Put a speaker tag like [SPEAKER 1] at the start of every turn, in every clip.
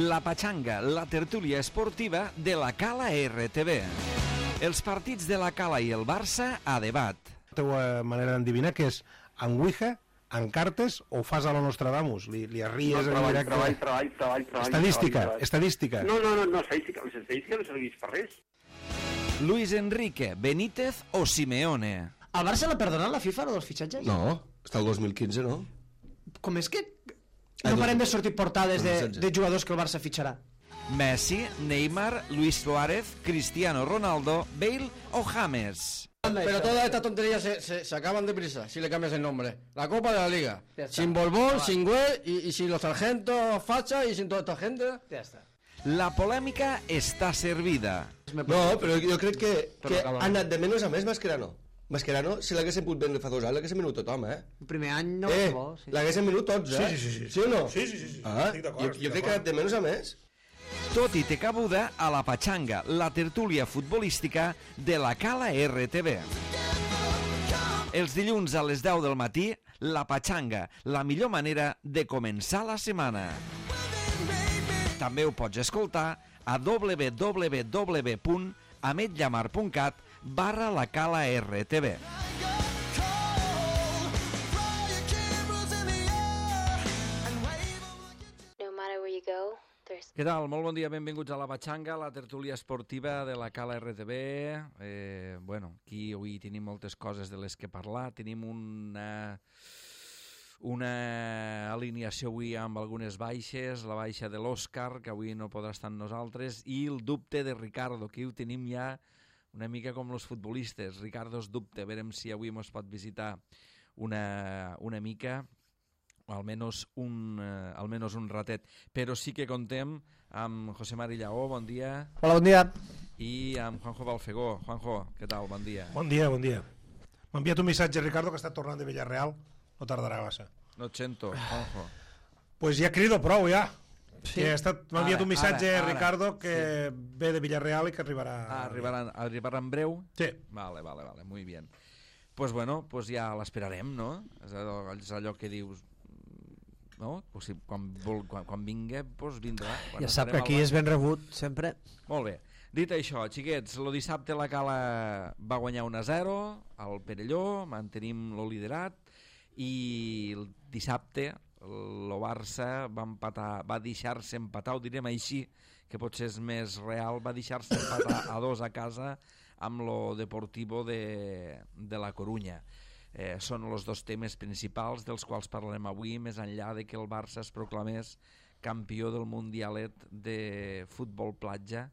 [SPEAKER 1] La Pachanga, la tertúlia esportiva de la Cala RTV. Els partits de la Cala i el Barça a debat.
[SPEAKER 2] La teva manera d'endevinar que és en Ouija, en cartes o fas a lo Nostradamus? Li arries en directe?
[SPEAKER 3] Treball.
[SPEAKER 2] Estadística.
[SPEAKER 3] No, estadística. Les estadístiques no serveix per res.
[SPEAKER 1] Luis Enrique, Benítez o Simeone.
[SPEAKER 4] El Barça l'ha perdonat la FIFA, dels fitxatges?
[SPEAKER 5] No, està el 2015, no?
[SPEAKER 4] Com és que no parem de sortir portades de jugadors que el Barça fitxarà?
[SPEAKER 1] Messi, Neymar, Luis Suárez, Cristiano Ronaldo, Bale o James.
[SPEAKER 6] Pero todas estas tonterías se acaban deprisa si le cambias el nombre. La Copa de la Liga. Sin Borbón, sin Güell y sin los sargentos Facha y sin toda esta gente.
[SPEAKER 4] Ja està.
[SPEAKER 1] La polèmica està servida.
[SPEAKER 5] No, però jo crec que ha anat de menys a més Mascherano. Mascherano, si l'haguessin pogut vendre fa 2 anys, l'haguessin venut tothom,
[SPEAKER 4] El primer any no va ser bo.
[SPEAKER 5] L'haguessin venut tots,
[SPEAKER 2] Sí.
[SPEAKER 5] Sí o no?
[SPEAKER 2] Sí.
[SPEAKER 5] Estic d'acord. Jo crec que ha anat de menys a més.
[SPEAKER 1] Tot i té cabuda a la Pachanga, la tertúlia futbolística de la Cala RTV. Els dilluns a les 10 del matí, la Pachanga, la millor manera de començar la setmana. També ho pots escoltar a www.ametllamar.cat/la Cala RTV.
[SPEAKER 7] No matter where you go, there's...
[SPEAKER 1] Què tal? Molt bon dia, benvinguts a la Pachanga, la tertúlia esportiva de la Cala RTV. Aquí avui tenim moltes coses de les que parlar. Tenim una alineació avui amb algunes baixes, la baixa de l'Òscar, que avui no podrà estar amb nosaltres, i el dubte de Ricardo, que ho tenim ja una mica com els futbolistes. Ricardo es dubte, veurem si avui ens pot visitar una mica, o almenys un ratet. Però sí que contem amb José Mari Lleó, bon dia.
[SPEAKER 4] Hola, bon dia.
[SPEAKER 1] I amb Juanjo Balfegó. Juanjo, què tal? Bon dia.
[SPEAKER 2] Bon dia. M'ha enviat un missatge, Ricardo, que està tornant de Villarreal. No tardarà massa.
[SPEAKER 1] No et sento, Juanjo.
[SPEAKER 2] Pues ja crido prou, ja.
[SPEAKER 4] Sí.
[SPEAKER 2] M'ha enviat un missatge,
[SPEAKER 1] ara,
[SPEAKER 2] Ricardo, que ve de Villarreal i que arribarà...
[SPEAKER 1] Arribarà en breu?
[SPEAKER 2] Sí.
[SPEAKER 1] Vale, muy bien. Pues bueno, pues ja l'esperarem, no? És allò que dius... No? Pues si, quan vingui, pues vindrà.
[SPEAKER 4] Ja sap que aquí és ben rebut, sempre.
[SPEAKER 1] Molt bé. Dit això, xiquets, el dissabte la Cala va guanyar 1-0 al Perelló, mantenim el liderat, i el dissabte el Barça va deixar-se empatar, ho direm així, que potser és més real, va deixar-se empatar a 2 a casa amb lo Deportivo de la Corunya. Són els dos temes principals dels quals parlarem avui, més enllà de que el Barça es proclamés campió del Mundialet de futbol platja.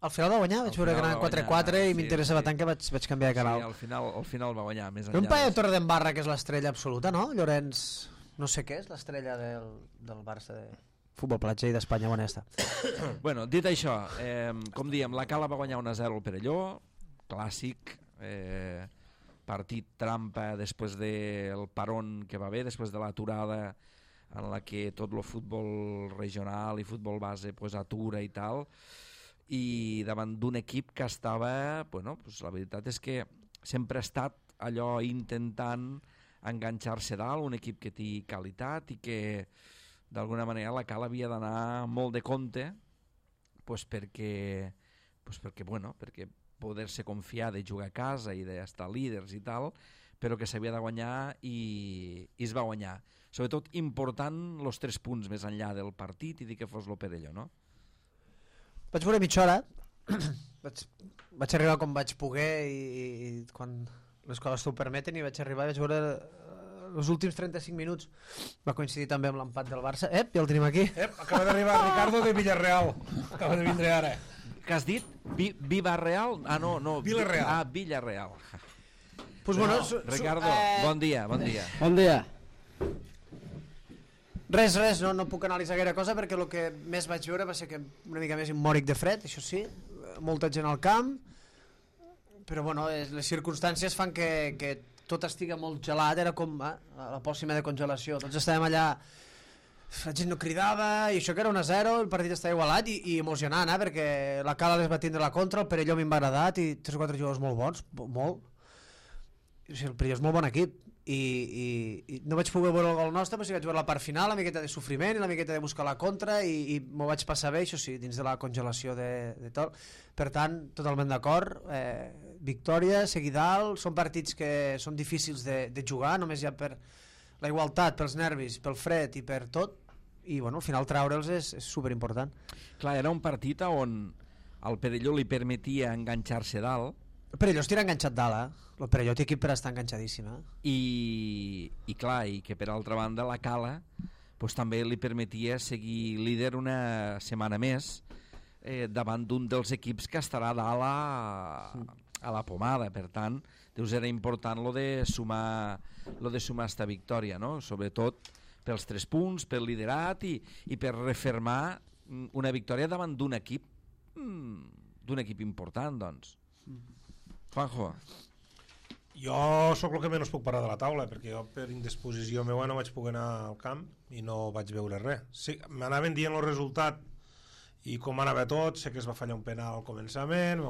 [SPEAKER 4] Al final va guanyar, vaig veure que anava 4-4 i m'interessava tant que vaig canviar de canal.
[SPEAKER 1] Sí, al final va guanyar, més enllà.
[SPEAKER 4] Un paio de Torredembarra, que és l'estrella absoluta, no? Llorenç, no sé què és, l'estrella del Barça de futbol platja i d'Espanya, on està.
[SPEAKER 1] Bueno, dit això, com diem, la Cala va guanyar 1-0 al Perelló, clàssic, partit trampa després del parón que va haver, després de l'aturada en la que tot el futbol regional i futbol base pues, atura i tal, i davant d'un equip que estava, bueno, pues, la veritat és que sempre ha estat allò intentant enganxar-se dalt, un equip que té qualitat i que d'alguna manera la Cala havia d'anar molt de compte pues, perquè poder-se confiar de jugar a casa i d'estar líders i tal, però que s'havia de guanyar i es va guanyar. Sobretot important els 3 punts més enllà del partit i dir que fos el Perelló, no?
[SPEAKER 4] Vaig veure mitja hora, vaig arribar com vaig poder i quan les coses t'ho permeten, i vaig arribar i vaig veure els últims 35 minuts. Va coincidir també amb l'empat del Barça. Ja el tenim aquí.
[SPEAKER 2] Acaba d'arribar Ricardo de Villarreal. Acaba de vindre ara.
[SPEAKER 1] Què has dit? Vivarreal? Ah, no.
[SPEAKER 2] Villarreal.
[SPEAKER 1] Ah, Villarreal.
[SPEAKER 4] Pues bueno,
[SPEAKER 1] Ricardo, bon dia.
[SPEAKER 6] Bon dia.
[SPEAKER 4] Res, no puc analitzar gaire cosa perquè el que més vaig veure va ser que una mica més immòric de fred, això sí, molta gent al camp, però bueno, les circumstàncies fan que tot estigui molt gelat, era com a la pòssima de congelació, tots estàvem allà, la gent no cridava, i això que era 1-0, el partit estava igualat i emocionant, perquè la Cala les va tindre la contra, el Perelló m'ha agradat i 3 o 4 jugadors molt bons, molt. O sigui, el Perelló és molt bon equip i no vaig poder veure el gol nostre, però sí que vaig veure la part final, la miqueta de sofriment i la miqueta de buscar la contra, i m'ho vaig passar bé, això sí, dins de la congelació de tot. Per tant, totalment d'acord, victòria, seguir dalt, són partits que són difícils de jugar, només ja per la igualtat, pels nervis, pel fred i per tot, i bueno, al final traure'ls és superimportant.
[SPEAKER 1] Clar, era un partit on el Perelló li permetia enganxar-se dalt.
[SPEAKER 4] El Perelló es tira enganxat dalt, el Perelló té equip per estar enganxadíssim,
[SPEAKER 1] i clar, i que per altra banda la Cala pues, també li permetia seguir líder una setmana més davant d'un dels equips que estarà dalt a la pomada. Per tant, deus era important lo de sumar esta victòria, no? Sobretot pels 3 punts, pel liderat i per refermar una victòria davant d'un equip important, doncs. Juanjo.
[SPEAKER 2] Jo sóc el que menys puc parlar de la taula, perquè jo per indisposició meva no vaig poder anar al camp i no vaig veure res. Sí, m'anaven dient el resultat i com anava tot, sé que es va fallar un penal al començament,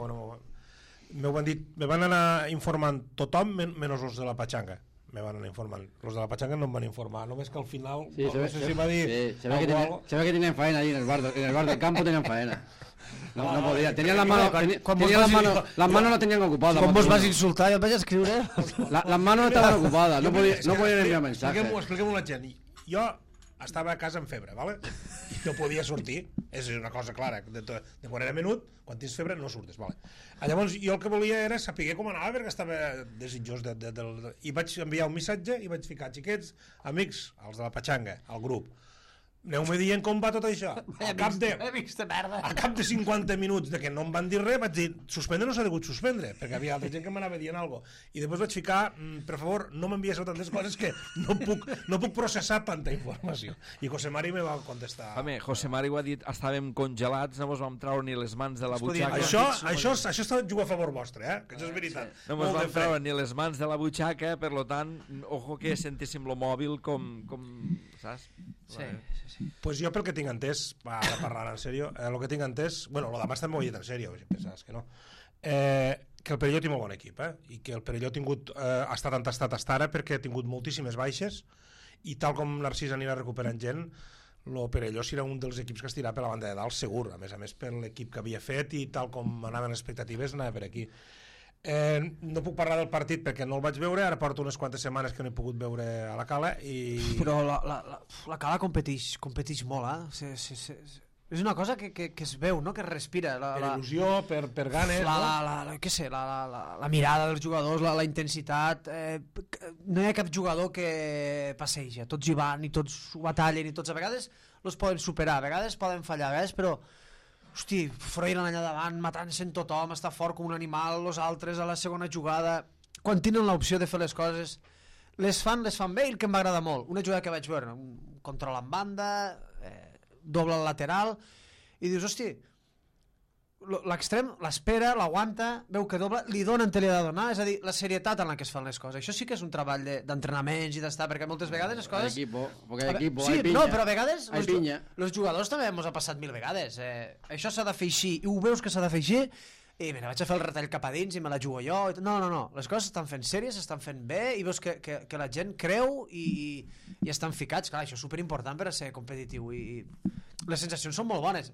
[SPEAKER 2] me van anar informant tothom menys els de la Pachanga. Me van anar informant. Los de la Pachanga no em van informar, només que al final
[SPEAKER 6] sí,
[SPEAKER 2] no sé si va dir
[SPEAKER 6] se ve que tienen faena ahí en el bar del campo tenían faena. No podía, tenían las manos no tenían ocupadas.
[SPEAKER 4] Com vos vas insultar, jo et vaig escriure.
[SPEAKER 6] Las manos estaban ocupadas, no podían enviar mensajes.
[SPEAKER 2] Expliquem-ho a la gent. Jo estava a casa amb febre, ¿vale? I no podia sortir, és una cosa clara, de quan era menut, quan tens febre no surtes, ¿vale? Llavors jo el que volia era saber com anava, perquè estava desitjós i vaig enviar un missatge i vaig ficar xiquets, amics, els de la Pachanga, al grup. Aneu-me dient com va tot això. Al cap de 50 minuts de que no em van dir res, vaig dir, suspendre no s'ha degut suspendre, perquè havia altra gent que m'anava dient alguna cosa. I després vaig ficar, per favor, no m'envies tantes coses que no puc processar tanta informació. I José Mari me va contestar.
[SPEAKER 1] Home, José Mari ho ha dit, estàvem congelats, no mos vam treure ni les mans de la butxaca.
[SPEAKER 2] Això està jugar a favor vostre, que això és veritat.
[SPEAKER 1] No mos vam treure ni les mans de la butxaca, per tant, ojo que sentéssim lo mòbil com saps?
[SPEAKER 4] Sí.
[SPEAKER 2] Pues jo pel que tinc entès, ara parlant en sèrio, el que tinc entès, bueno, lo demás també ho he dit en sèrio, si pensaves que no, que el Perelló té molt bon equip, i que el Perelló ha estat entestat hasta ara perquè ha tingut moltíssimes baixes, i tal com Narcís anirà recuperant gent, el Perelló serà un dels equips que estirà per la banda de dalt segur, a més per l'equip que havia fet i tal com anaven les expectatives anava per aquí. No puc parlar del partit perquè no el vaig veure, ara porto unes quantes setmanes que no he pogut veure a la Cala
[SPEAKER 4] però la Cala competeix molt, és una cosa que es veu, no? Que es respira
[SPEAKER 2] per il·lusió, per ganes
[SPEAKER 4] la mirada dels jugadors, la intensitat, no hi ha cap jugador que passeja, tots hi van i tots ho batallen i tots a vegades els poden superar, a vegades poden fallar, a vegades, però hosti, Froilán allà davant, matant-se en tothom, està fort com un animal, els altres a la segona jugada, quan tenen l'opció de fer les coses, les fan bé, i el que em va agradar molt, una jugada que vaig veure, un control en banda, doble al lateral, i dius, hosti, l'extrem l'espera, l'aguanta, veu que doble, li dona en te li ha de donar, és a dir, la serietat en la que es fan les coses. Això sí que és un treball d'entrenaments i d'estar, perquè moltes vegades les coses...
[SPEAKER 6] Hay equipo,
[SPEAKER 4] sí,
[SPEAKER 6] hay pinya.
[SPEAKER 4] No, però a vegades
[SPEAKER 6] els
[SPEAKER 4] jugadors també ens ha passat 1000 vegades. Això s'ha de fer així, i ho veus que s'ha de fer així, i mira, vaig a fer el retall cap a dins i me la jugo jo. No, les coses s'estan fent sèries, s'estan fent bé, i veus que la gent creu i estan ficats. Clar, això és superimportant per a ser competitiu, i les sensacions són molt bones.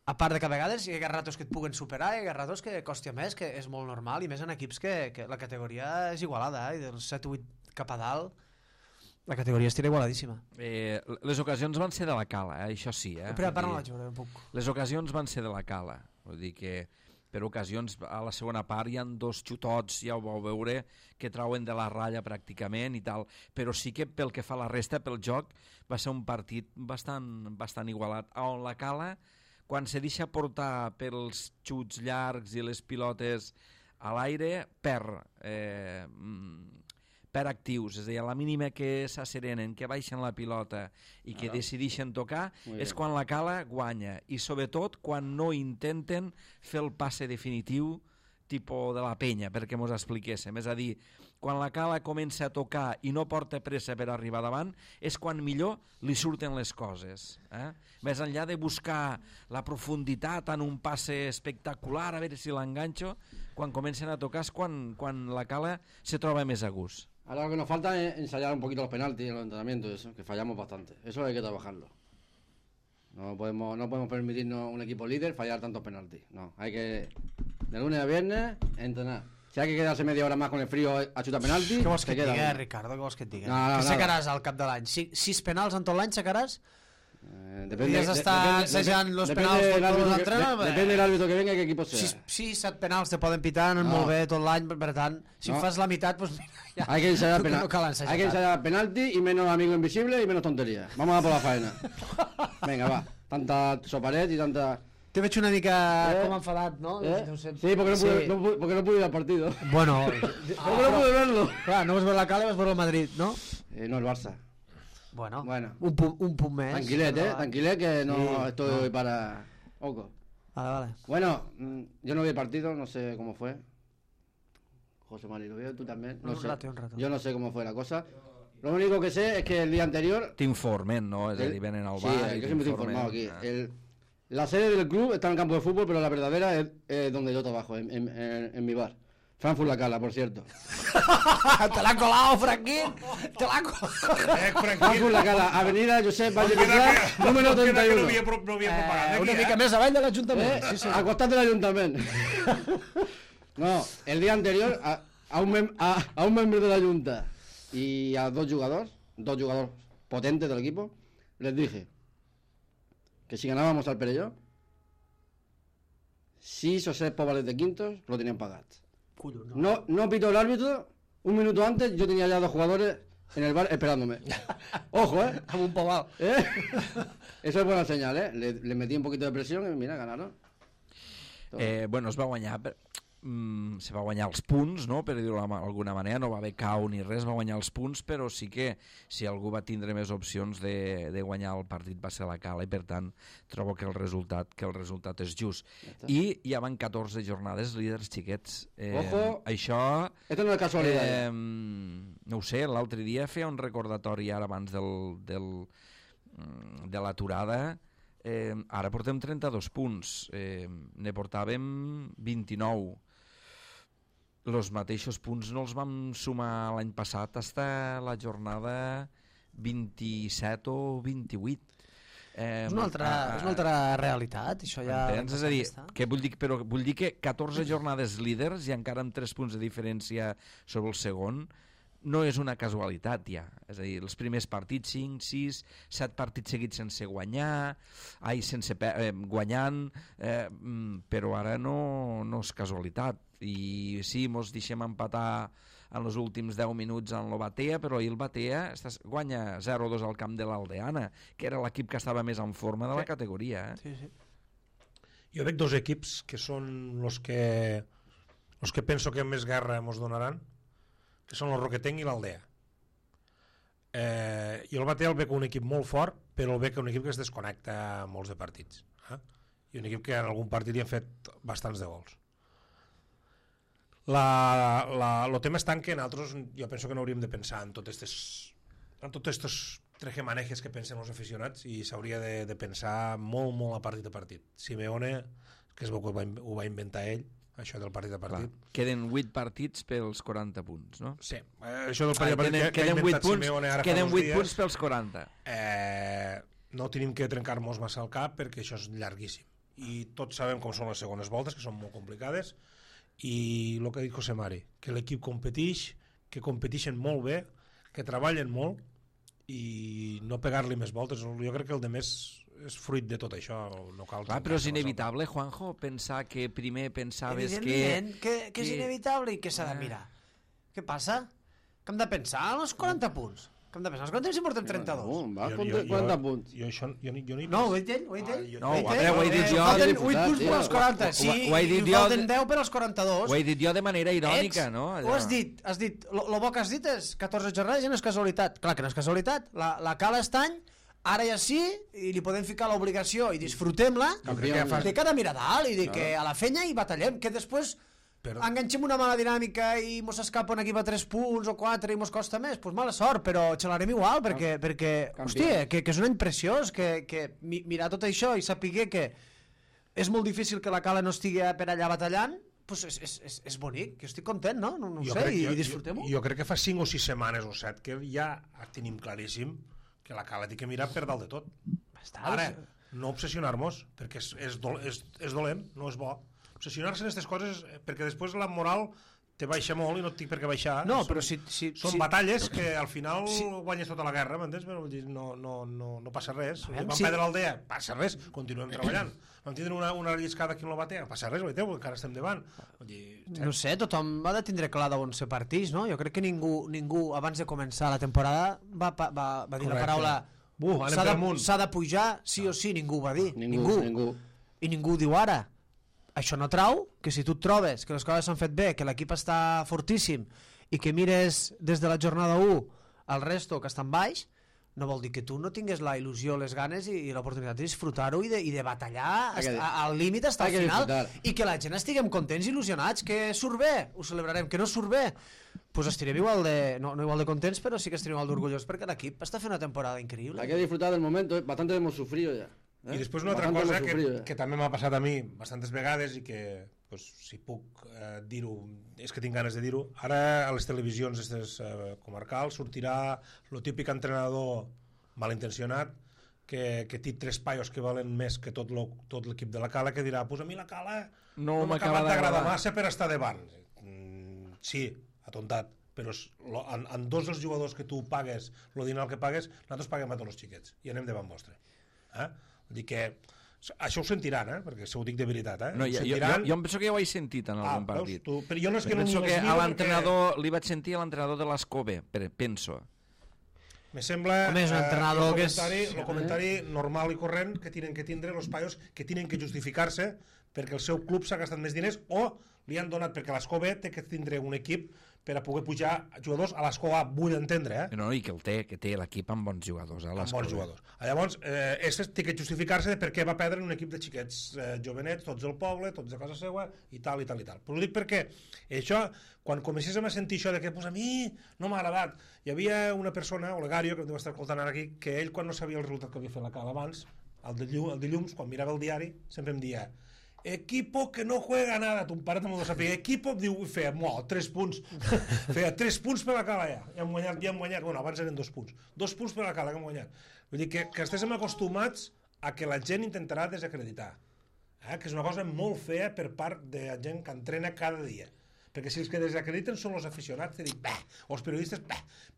[SPEAKER 4] A part de que a vegades hi ha ratos que et puguen superar, hi ha ratos que costa més, que és molt normal, i més en equips que la categoria és igualada, i dels 7-8 cap a dalt la categoria estirà igualadíssima.
[SPEAKER 1] Les ocasions van ser de la Cala, això sí.
[SPEAKER 4] Però no la jugaré un poc.
[SPEAKER 1] Les ocasions van ser de la Cala, vull dir que per ocasions a la segona part hi ha 2 xutots, ja ho vau veure, que trauen de la ratlla pràcticament i tal, però sí que pel que fa a la resta, pel joc, va ser un partit bastant igualat, on la Cala, quan se deixa portar pels xuts llargs i les pilotes a l'aire, per actius, és a dir, a la mínima que s'asserenen, que baixen la pilota i que decideixen tocar, és quan la Cala guanya, i sobretot quan no intenten fer el passe definitiu tipus de la penya, perquè mos expliquéssim, és a dir, quan la Cala comença a tocar i no porta pressa per arribar davant, és quan millor li surten les coses. Més enllà de buscar la profunditat en un passe espectacular, a veure si l'enganxo, quan comencen a tocar és quan la Cala se troba més a gust.
[SPEAKER 6] Ahora lo que nos falta es ensayar un poquito los penaltis en los entrenamientos, eso, que fallamos bastante. Eso hay que trabajarlo. No podemos permitirnos un equipo líder fallar tantos penaltis. No, hay que de lunes a viernes entrenar. Si hay que quedarse media hora más con el frío a xutar penaltis,
[SPEAKER 4] Què vols que et
[SPEAKER 6] queda
[SPEAKER 4] digui,
[SPEAKER 6] uno.
[SPEAKER 4] Ricardo? Què vols que et digui?
[SPEAKER 6] No,
[SPEAKER 4] Què sacaràs al cap de l'any? 6 penals en tot l'any sacaràs?
[SPEAKER 6] Depende
[SPEAKER 4] assajant los penals
[SPEAKER 6] del
[SPEAKER 4] per
[SPEAKER 6] árbitro
[SPEAKER 4] tots l'entrenador?
[SPEAKER 6] depende del árbitro que venga y qué equipo sea.
[SPEAKER 4] 7 penals te poden pitar, anen molt bé tot l'any, per tant, si
[SPEAKER 6] No.
[SPEAKER 4] fas la meitat, doncs mira, ja.
[SPEAKER 6] Hay que ensayar
[SPEAKER 4] No cal ensayar
[SPEAKER 6] hay que
[SPEAKER 4] tant.
[SPEAKER 6] ensayar penalti y menos amigos invisibles y menos tonterías. Vamos a por la faena. Venga, va. Tanta soparet y tanta...
[SPEAKER 4] Te veig una mica com enfadat, no? Deu ser-
[SPEAKER 6] Sí, porque porque no pude ir al partido.
[SPEAKER 4] Bueno,
[SPEAKER 6] Porque no pude verlo.
[SPEAKER 4] clar, no vas veure la Cala, vas veure el Madrid, no?
[SPEAKER 6] No, el Barça.
[SPEAKER 4] Bueno,
[SPEAKER 6] Bueno.
[SPEAKER 4] un punt més.
[SPEAKER 6] Tranquilet,
[SPEAKER 4] Però-
[SPEAKER 6] tranquilet que no
[SPEAKER 4] Sí,
[SPEAKER 6] estoy hoy para... Oco.
[SPEAKER 4] Vale.
[SPEAKER 6] Bueno, yo no vi el partido, no sé cómo fue. José Mari, ¿lo vio? ¿Tú también? No
[SPEAKER 4] Un
[SPEAKER 6] sé.
[SPEAKER 4] rato.
[SPEAKER 6] Yo no sé cómo fue la cosa. Lo único que sé es que el día anterior...
[SPEAKER 1] T'informen, no? És a dir, venen al bar i
[SPEAKER 6] yo siempre estoy
[SPEAKER 1] t'informen.
[SPEAKER 6] informado aquí. La sede del club está en el campo de fútbol, pero la verdadera es donde yo trabajo, en mi bar. Frankfurt La Cala, por cierto.
[SPEAKER 4] Te l'ha colat, Franquín! Te l'ha colat!
[SPEAKER 6] Frankfurt La Cala, avenida Josep Valle Pilar, número 31.
[SPEAKER 2] No havia propaganda
[SPEAKER 4] Una
[SPEAKER 2] aquí,
[SPEAKER 4] mica més avall de l'Ajuntament.
[SPEAKER 6] Sí, sí. Al costat de l'Ajuntament. No, el día anterior a un miembro de la Junta y a dos jugadores potentes del equipo, les dije que si ganábamos al Perelló, 6 o 7 pobres de quintos lo tenían pagats. No pitó el árbitro, un minuto antes yo tenía ya 2 jugadores en el bar esperándome. Ojo,
[SPEAKER 4] Amb un pobal.
[SPEAKER 6] Eso es buena señal, Le metí un poquito de presión y mira, ganaron.
[SPEAKER 1] Bueno, es va guanyar... se va guanyar els punts, no? Per dir-ho d'alguna manera, no va haver cau ni res, va guanyar els punts, però sí que si algú va tindre més opcions de guanyar el partit va ser la Cala i per tant trobo que el resultat és just. I ja van 14 jornades líders xiquets.
[SPEAKER 6] Ojo!
[SPEAKER 1] Això...
[SPEAKER 6] Esto no es casualidad.
[SPEAKER 1] No ho sé, l'altre dia feia un recordatori ara abans de l'aturada. Ara portem 32 punts, ne portàvem 29. Els mateixos punts no els vam sumar l'any passat fins a la jornada 27 o 28.
[SPEAKER 4] És una altra realitat, això ja...
[SPEAKER 1] Entens? És a dir, que vull dir que 14 jornades líders i encara amb 3 punts de diferència sobre el segon no és una casualitat ja, és a dir, els primers partits 5, 6, 7 partits seguits sense guanyar, guanyant, però ara no és casualitat, i sí, mos deixem empatar en els últims 10 minuts en el Batea, però ahir el Batea guanya 0-2 al camp de l'Aldeana, que era l'equip que estava més en forma de la categoria.
[SPEAKER 4] Sí.
[SPEAKER 2] Jo veig 2 equips que són los que penso que més guerra mos donaran, que són el Roquetenc i l'Aldea. Jo el Batea el veig un equip molt fort, però el veig un equip que es desconnecta molts de partits. I un equip que en algun partit hi han fet bastants de gols. El tema està en que nosaltres, jo penso que no hauríem de pensar en tots estos trejemanejes que pensen els aficionats i s'hauria de pensar molt, molt a partit a partit. Simeone, que es veu que ho va inventar ell, això del partit a partit.
[SPEAKER 1] Clar. Queden 8 partits pels 40 punts, no?
[SPEAKER 2] Sí, això del partit a partit que ha inventat Simeone ara fa uns dies.
[SPEAKER 1] Queden 8 punts pels 40.
[SPEAKER 2] No tenim que trencar-nos massa el cap perquè això és llarguíssim. I tots sabem com són les segones voltes, que són molt complicades, i el que ha dit José Mari, que l'equip competeix, que competeixen molt bé, que treballen molt i no pegar-li més voltes. Jo crec que el de més és fruit de tot això. No cal.
[SPEAKER 1] Clar, però és inevitable, Juanjo, pensar que primer pensaves
[SPEAKER 4] Evidentment que és inevitable i que s'ha de mirar. Què passa? Que hem de pensar en els 40 punts. Que hem de pensar en els 40 punts si portem 32.
[SPEAKER 6] Va, 40 punts.
[SPEAKER 2] Jo no hi
[SPEAKER 4] No, ho he dit ell? Ho he dit ell?
[SPEAKER 1] No, ho he dit jo.
[SPEAKER 4] Falten 8 punts per als 40. Sí,
[SPEAKER 1] Ho he dit
[SPEAKER 4] i
[SPEAKER 1] jo.
[SPEAKER 4] falten 10 per als 42.
[SPEAKER 1] Ho he dit jo de manera irònica, no?
[SPEAKER 4] Ho has dit. Lo bo que has dit és 14 jornades i no és casualitat. Clar que no és casualitat. La Cala està any, ara ja sí, i li podem ficar l'obligació i disfrutem-la de cada mirar dalt i de que a la fenya hi batallem, que després enganxem una mala dinàmica i mos escapa un equip a 3 punts o 4 i mos costa més, doncs mala sort, però xalarem igual, perquè hòstia, que és un any preciós, que mirar tot això i saber que és molt difícil que la Cala no estigui per allà batallant, pues és bonic, que estic content, no? No ho sé, i disfrutem-ho.
[SPEAKER 2] Jo crec que fa 5 o 6 setmanes o 7 que ja tenim claríssim que la Cala té que mirar per dalt de tot. Ara, no obsessionar-nos, perquè és dolent, no és bo. Obsessionar-se en aquestes coses, perquè després la moral te baixa molt i no et dic per què baixar.
[SPEAKER 4] No, però
[SPEAKER 2] són batalles que al final guanyes tota la guerra, m'entens? Però no passa res. Vam perdre l'aldea, passa res, continuem treballant. Vam tindre una lliscada aquí en la batea, passa res, veiteu, encara estem davant.
[SPEAKER 4] No sé, tothom ha de tindre clar d'on ser partits, no? Jo crec que ningú abans de començar la temporada va dir la paraula s'ha de pujar, sí o sí, ningú va dir.
[SPEAKER 6] Ningú.
[SPEAKER 4] I ningú diu ara. Això no trau que si tu et trobes que les coses s'han fet bé, que l'equip està fortíssim i que mires des de la jornada 1 al resto que està en baix, no vol dir que tu no tingues la il·lusió, les ganes i l'oportunitat de disfrutar-ho i de batallar al límit fins al final i que la gent estiguem contents i il·lusionats, que surt bé, ho celebrarem, que no surt bé, pues estirem igual de, no igual de contents, però sí que estirem igual d'orgullós perquè l'equip està fent una temporada increïble.
[SPEAKER 6] Hay que disfrutar del momento, bastante hemos sufrido ya.
[SPEAKER 2] I després una altra cosa que també m'ha passat a mi bastantes vegades i que pues, si puc dir-ho, és que tinc ganes de dir-ho, ara a les televisions comarcals sortirà el típic entrenador malintencionat que té 3 paios que valen més que tot l'equip de la Cala, que dirà, pues a mi la Cala no m'ha acabat d'agradar massa per estar davant. Sí, atontat, però en 2 dels jugadors que tu pagues el dinar que pagues, nosaltres paguem a tots els xiquets i anem davant vostre. Vull dir que això ho sentiran, perquè ho dic de veritat.
[SPEAKER 1] No, jo em penso que ja ho he sentit en algun partit.
[SPEAKER 2] Però jo no és que
[SPEAKER 1] penso que a l'entrenador li vaig sentir a l'entrenador de l'Escove, penso.
[SPEAKER 2] Me sembla el comentari normal i corrent que tenen que tindre els paios que tenen que justificar-se perquè el seu club s'ha gastat més diners o li han donat, perquè l'Escove té que tindre un equip per a poder pujar jugadors a l'Escova, vull entendre.
[SPEAKER 1] No, i que té l'equip amb bons jugadors.
[SPEAKER 2] Amb bons jugadors. Llavors, té que justificar-se de per què va perdre un equip de xiquets jovenets, tots del poble, tots de casa seva, i tal, i tal, i tal. Però ho dic perquè això, quan comencéssim a sentir això de que pues, a mi no m'ha agradat, hi havia una persona, Olegario, que em deu estar escoltant ara aquí, que ell, quan no sabia el resultat que havia fet la Cala abans, el dilluns, quan mirava el diari, sempre em dia equipo que no juega nada, ton pare també ho sabia, equipo, diu, feia 3 punts feia 3 punts per la Cala ja hem guanyat, bueno, abans eren 2 punts 2 punts per la Cala que hem guanyat, vull dir que estéssim acostumats a que la gent intentarà desacreditar, que és una cosa molt fea per part de la gent que entrena cada dia, perquè si els que desacrediten són els aficionats, o els periodistes,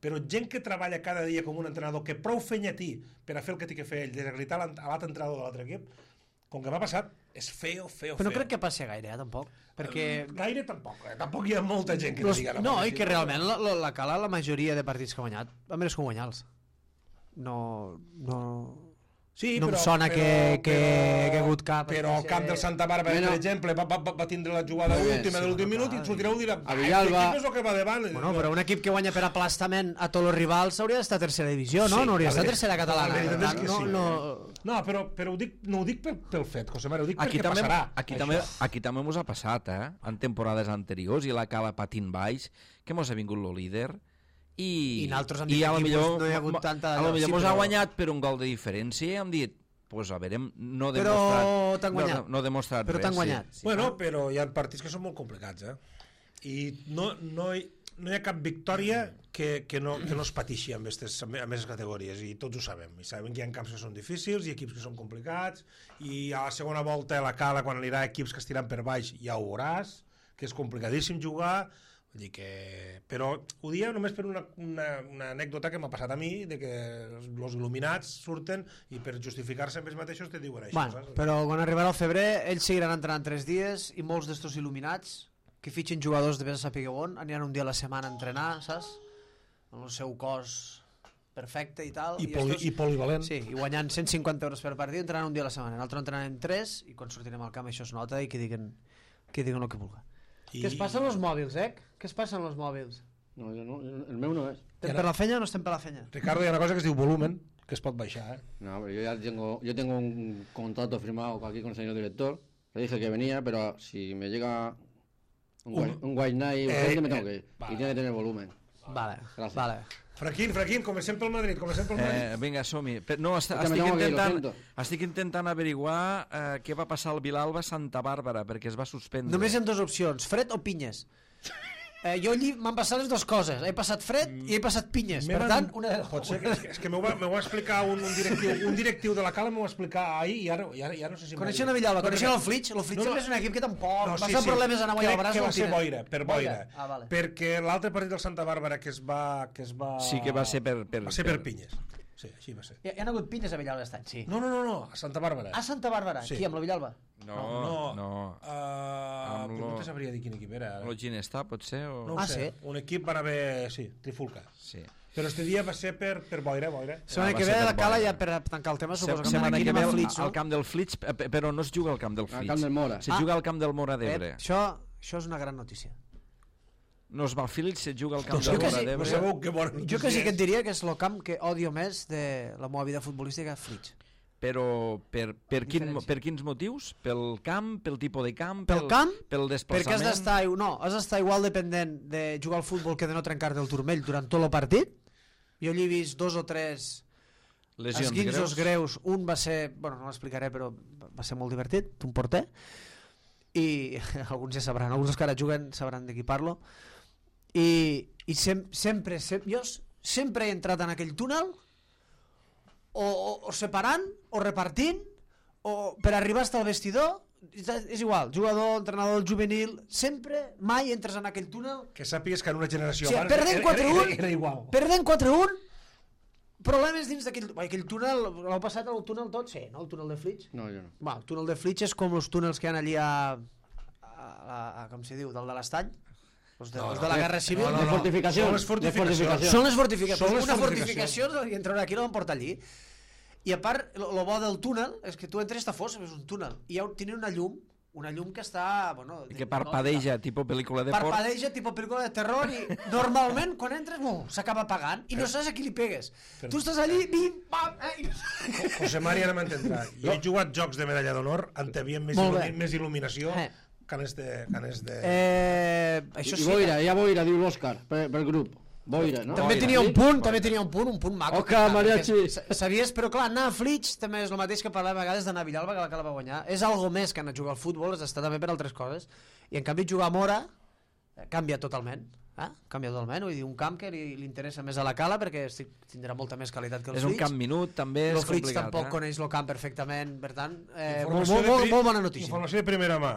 [SPEAKER 2] però gent que treballa cada dia com un entrenador que prou fenya té per a fer el que té que fer ell, desacreditar a l'altre entrenador de l'altre equip, com que m'ha passat, és feo.
[SPEAKER 4] Però no crec que passi gaire, tampoc. Perquè...
[SPEAKER 2] Gaire tampoc, tampoc hi ha molta gent que digui...
[SPEAKER 4] No, i que realment la Cala, la majoria de partits que ha guanyat, a més que guanyar-los. No...
[SPEAKER 2] Sí,
[SPEAKER 4] no em sona que ha hagut cap...
[SPEAKER 2] Però el camp del Santa Bàrbara, per exemple, va tindre la jugada última de l'últim minut i sortireu i dirà l'equip és el que va davant.
[SPEAKER 4] Bueno, però un equip que guanya per aplastament a tots els rivals hauria d'estar a tercera divisió, no? No hauria d'estar a tercera catalana.
[SPEAKER 2] No, però no ho dic pel fet, José Mario, ho dic perquè passarà.
[SPEAKER 1] Aquí també mos ha passat, en temporades anteriors, i la Cala patint baix, que mos ha vingut el líder, i
[SPEAKER 4] nosaltres hem dit que no hi ha hagut tanta...
[SPEAKER 1] A lo millor mos ha guanyat per un gol de diferència i hem dit, pues a veure, no he demostrat res.
[SPEAKER 4] Però t'han guanyat.
[SPEAKER 2] Bueno, però hi ha partits que són molt complicats, i no hi ha cap victòria que no es pateixi amb aquestes categories, i tots ho sabem, i sabem que hi ha camps que són difícils i equips que són complicats, i a la segona volta a la Cala, quan anirà equips que estiran per baix, ja ho veuràs, que és complicadíssim jugar. Vull dir que... Però ho dia només per una anècdota que m'ha passat a mi, de que els il·luminats surten i per justificar-se amb ells mateixos te diuen això.
[SPEAKER 4] Bueno, però quan arribarà el febrer ells seguiran entrenant 3 dies i molts d'estos il·luminats que fitxin jugadors de vés a saber on aniran un dia a la setmana a entrenar, saps? Amb el seu cos perfecte i tal.
[SPEAKER 2] I polivalent.
[SPEAKER 4] Sí, i guanyant 150 euros per partit, entrenant un dia a la setmana. Nosaltres entrenarem 3 i quan sortirem al camp això es nota i que diguen el que vulgui. Què es passa amb els mòbils, Què es passa amb els mòbils?
[SPEAKER 6] No, el meu no és.
[SPEAKER 4] ¿Estem per la feña o no estem per la feña?
[SPEAKER 2] Ricardo, hi ha una cosa que es diu volumen, que es pot baixar,
[SPEAKER 6] No, pero yo tengo un contrato firmado aquí con el señor director. Le dije que venía, pero si me llega Un white night urgente me tengo que ir.
[SPEAKER 2] vale.
[SPEAKER 6] Y tiene que tener volumen.
[SPEAKER 4] Vale,
[SPEAKER 6] Gracias.
[SPEAKER 4] vale.
[SPEAKER 2] Fraquín, comencem pel Madrid,
[SPEAKER 1] Vinga, som-hi. No,
[SPEAKER 6] que me tengo que ir, lo siento.
[SPEAKER 1] estic intentant averiguar què va passar al Vilalba Santa Bàrbara, perquè es va suspendre.
[SPEAKER 4] Només hi ha dues opcions, fred o pinyes. Jo allí m'han passat les dues coses. He passat fred i he passat pinyes. Per tant, una de
[SPEAKER 2] Pot ser és que m'ho va explicar un directiu de la Cala, m'ho va explicar ahir i ja no sé si...
[SPEAKER 4] Coneixen a Villalba, coneixen el Flitx? El Flitx és un equip que tampoc va ser problemes anar a Villalba.
[SPEAKER 2] Que va ser boira, per boira.
[SPEAKER 4] Vale.
[SPEAKER 2] Perquè l'altre partit del Santa Bàrbara que es va...
[SPEAKER 1] Sí que va ser per...
[SPEAKER 2] Va ser per pinyes. Sí, així va ser.
[SPEAKER 4] Hi ha hagut pinyes a Villalba aquest any, sí.
[SPEAKER 2] No, a Santa Bàrbara.
[SPEAKER 4] A Santa Bàrbara?
[SPEAKER 2] Sí.
[SPEAKER 4] Qui, amb la Villalba?
[SPEAKER 1] No.
[SPEAKER 2] No te sabria dir quin equip era.
[SPEAKER 1] Lo Ginestà, potser?
[SPEAKER 2] No ho sé. Un equip van haver... Sí, trifulca.
[SPEAKER 1] Sí.
[SPEAKER 2] Però este dia va ser per boira.
[SPEAKER 4] Setmana que ve la Cala ja per tancar el tema suposo que
[SPEAKER 1] Setmana que ve
[SPEAKER 4] al Flitx, no?
[SPEAKER 1] al camp del Flitx, però no es juga al camp del Flitx.
[SPEAKER 6] Al camp del Mora.
[SPEAKER 1] Se juga al camp del Mora d'Ebre.
[SPEAKER 4] Això és una gran notícia.
[SPEAKER 1] No es va al Flitx, se juga al camp
[SPEAKER 4] Jo
[SPEAKER 1] del
[SPEAKER 4] que
[SPEAKER 1] Mora
[SPEAKER 4] sí,
[SPEAKER 1] d'Ebre.
[SPEAKER 4] Jo que sí que et diria que és el camp que odio més de la meva vida futbolística, Flitx.
[SPEAKER 1] Però per quins motius? Pel camp, pel tipus de camp,
[SPEAKER 4] Pel camp,
[SPEAKER 1] pel desplaçament?
[SPEAKER 4] perquè has d'estar igual dependent de jugar al futbol que de no trencar-te el turmell durant tot el partit. Jo hi he vist 2 o 3 esquinços greus. Un va ser, bueno, no l'explicaré, però va ser molt divertit, un porter, i alguns ja sabran, alguns que ara juguen sabran de qui parlo, i jo sempre he entrat en aquell túnel o separant o repartint o per arribar fins al vestidor. És igual, jugador, entrenador, juvenil, sempre, mai entres en aquell túnel.
[SPEAKER 2] Que sàpigues que en una generació
[SPEAKER 4] Sí,
[SPEAKER 2] abans era igual.
[SPEAKER 4] Perdent 4-1, problemes dins d'aquell túnel. L'heu passat el túnel tot? Sí, no? El túnel de Flitx?
[SPEAKER 6] No, jo no.
[SPEAKER 4] El túnel de Flitx és com els túnels que hi ha allí a com s'hi diu, del de l'estany? Els de la Guerra Civil?
[SPEAKER 6] De fortificacions.
[SPEAKER 4] Són les fortificacions. Una fortificació i entrar aquí no van portar allí. I a part, el bo del túnel és que tu entres i està fos, és un túnel. I tenen una llum que està... Bueno,
[SPEAKER 1] que parpadeja, tipus pel·lícula de por.
[SPEAKER 4] Parpadeja, tipus pel·lícula de terror, i normalment quan entres s'acaba apagant i no saps a qui li pegues. Tu estàs allí, bim, pam...
[SPEAKER 2] José Mari ara m'entendrà. Jo he jugat jocs de medalla d'honor on havia més il·luminació que en este...
[SPEAKER 4] Això sí.
[SPEAKER 6] Hi ha boira, diu l'Òscar, pel grup. Boira, no?
[SPEAKER 4] També tenia un punt maco.
[SPEAKER 6] Òscar, mariachi.
[SPEAKER 4] Sabies, però clar, anar a Flitx també és el mateix que parlem a vegades d'anar a Villalba, que la Cala va guanyar. És algo més que anar a jugar al futbol, és estar també per altres coses. I en canvi jugar a Mora canvia totalment. Canvia totalment, vull dir, un camp que li interessa més a la Cala perquè tindrà molta més qualitat que el Flitx.
[SPEAKER 1] És un camp minut, també és complicat.
[SPEAKER 4] El Flitx tampoc coneix el camp perfectament, per tant, molt bona notícia.
[SPEAKER 2] Informació de primera mà.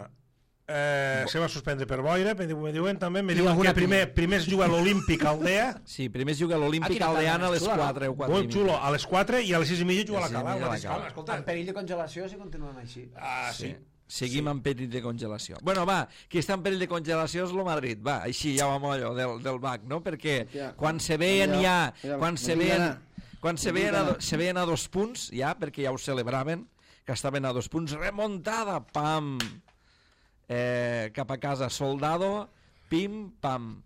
[SPEAKER 2] Se va suspendre per boira, me diuen també, me diuen que primer es juga a l'Olímpic Aldea.
[SPEAKER 1] Sí, primer es juga a l'Olímpic Aldeana a les 4 o 4
[SPEAKER 2] molt xulo, a les 4 i a les 6:30 juga a la Cala.
[SPEAKER 4] En perill de congelació si continuem així.
[SPEAKER 2] Sí.
[SPEAKER 1] Seguim en perill de congelació. Bueno, va, qui està en perill de congelació és el Madrid. Va, així ja va mollo del BAC, no? Perquè quan se veien ja... Quan se veien a 2 punts, ja, perquè ja ho celebraven, que estaven a 2 punts, remuntada, pam... cap a casa, soldado, pim, pam.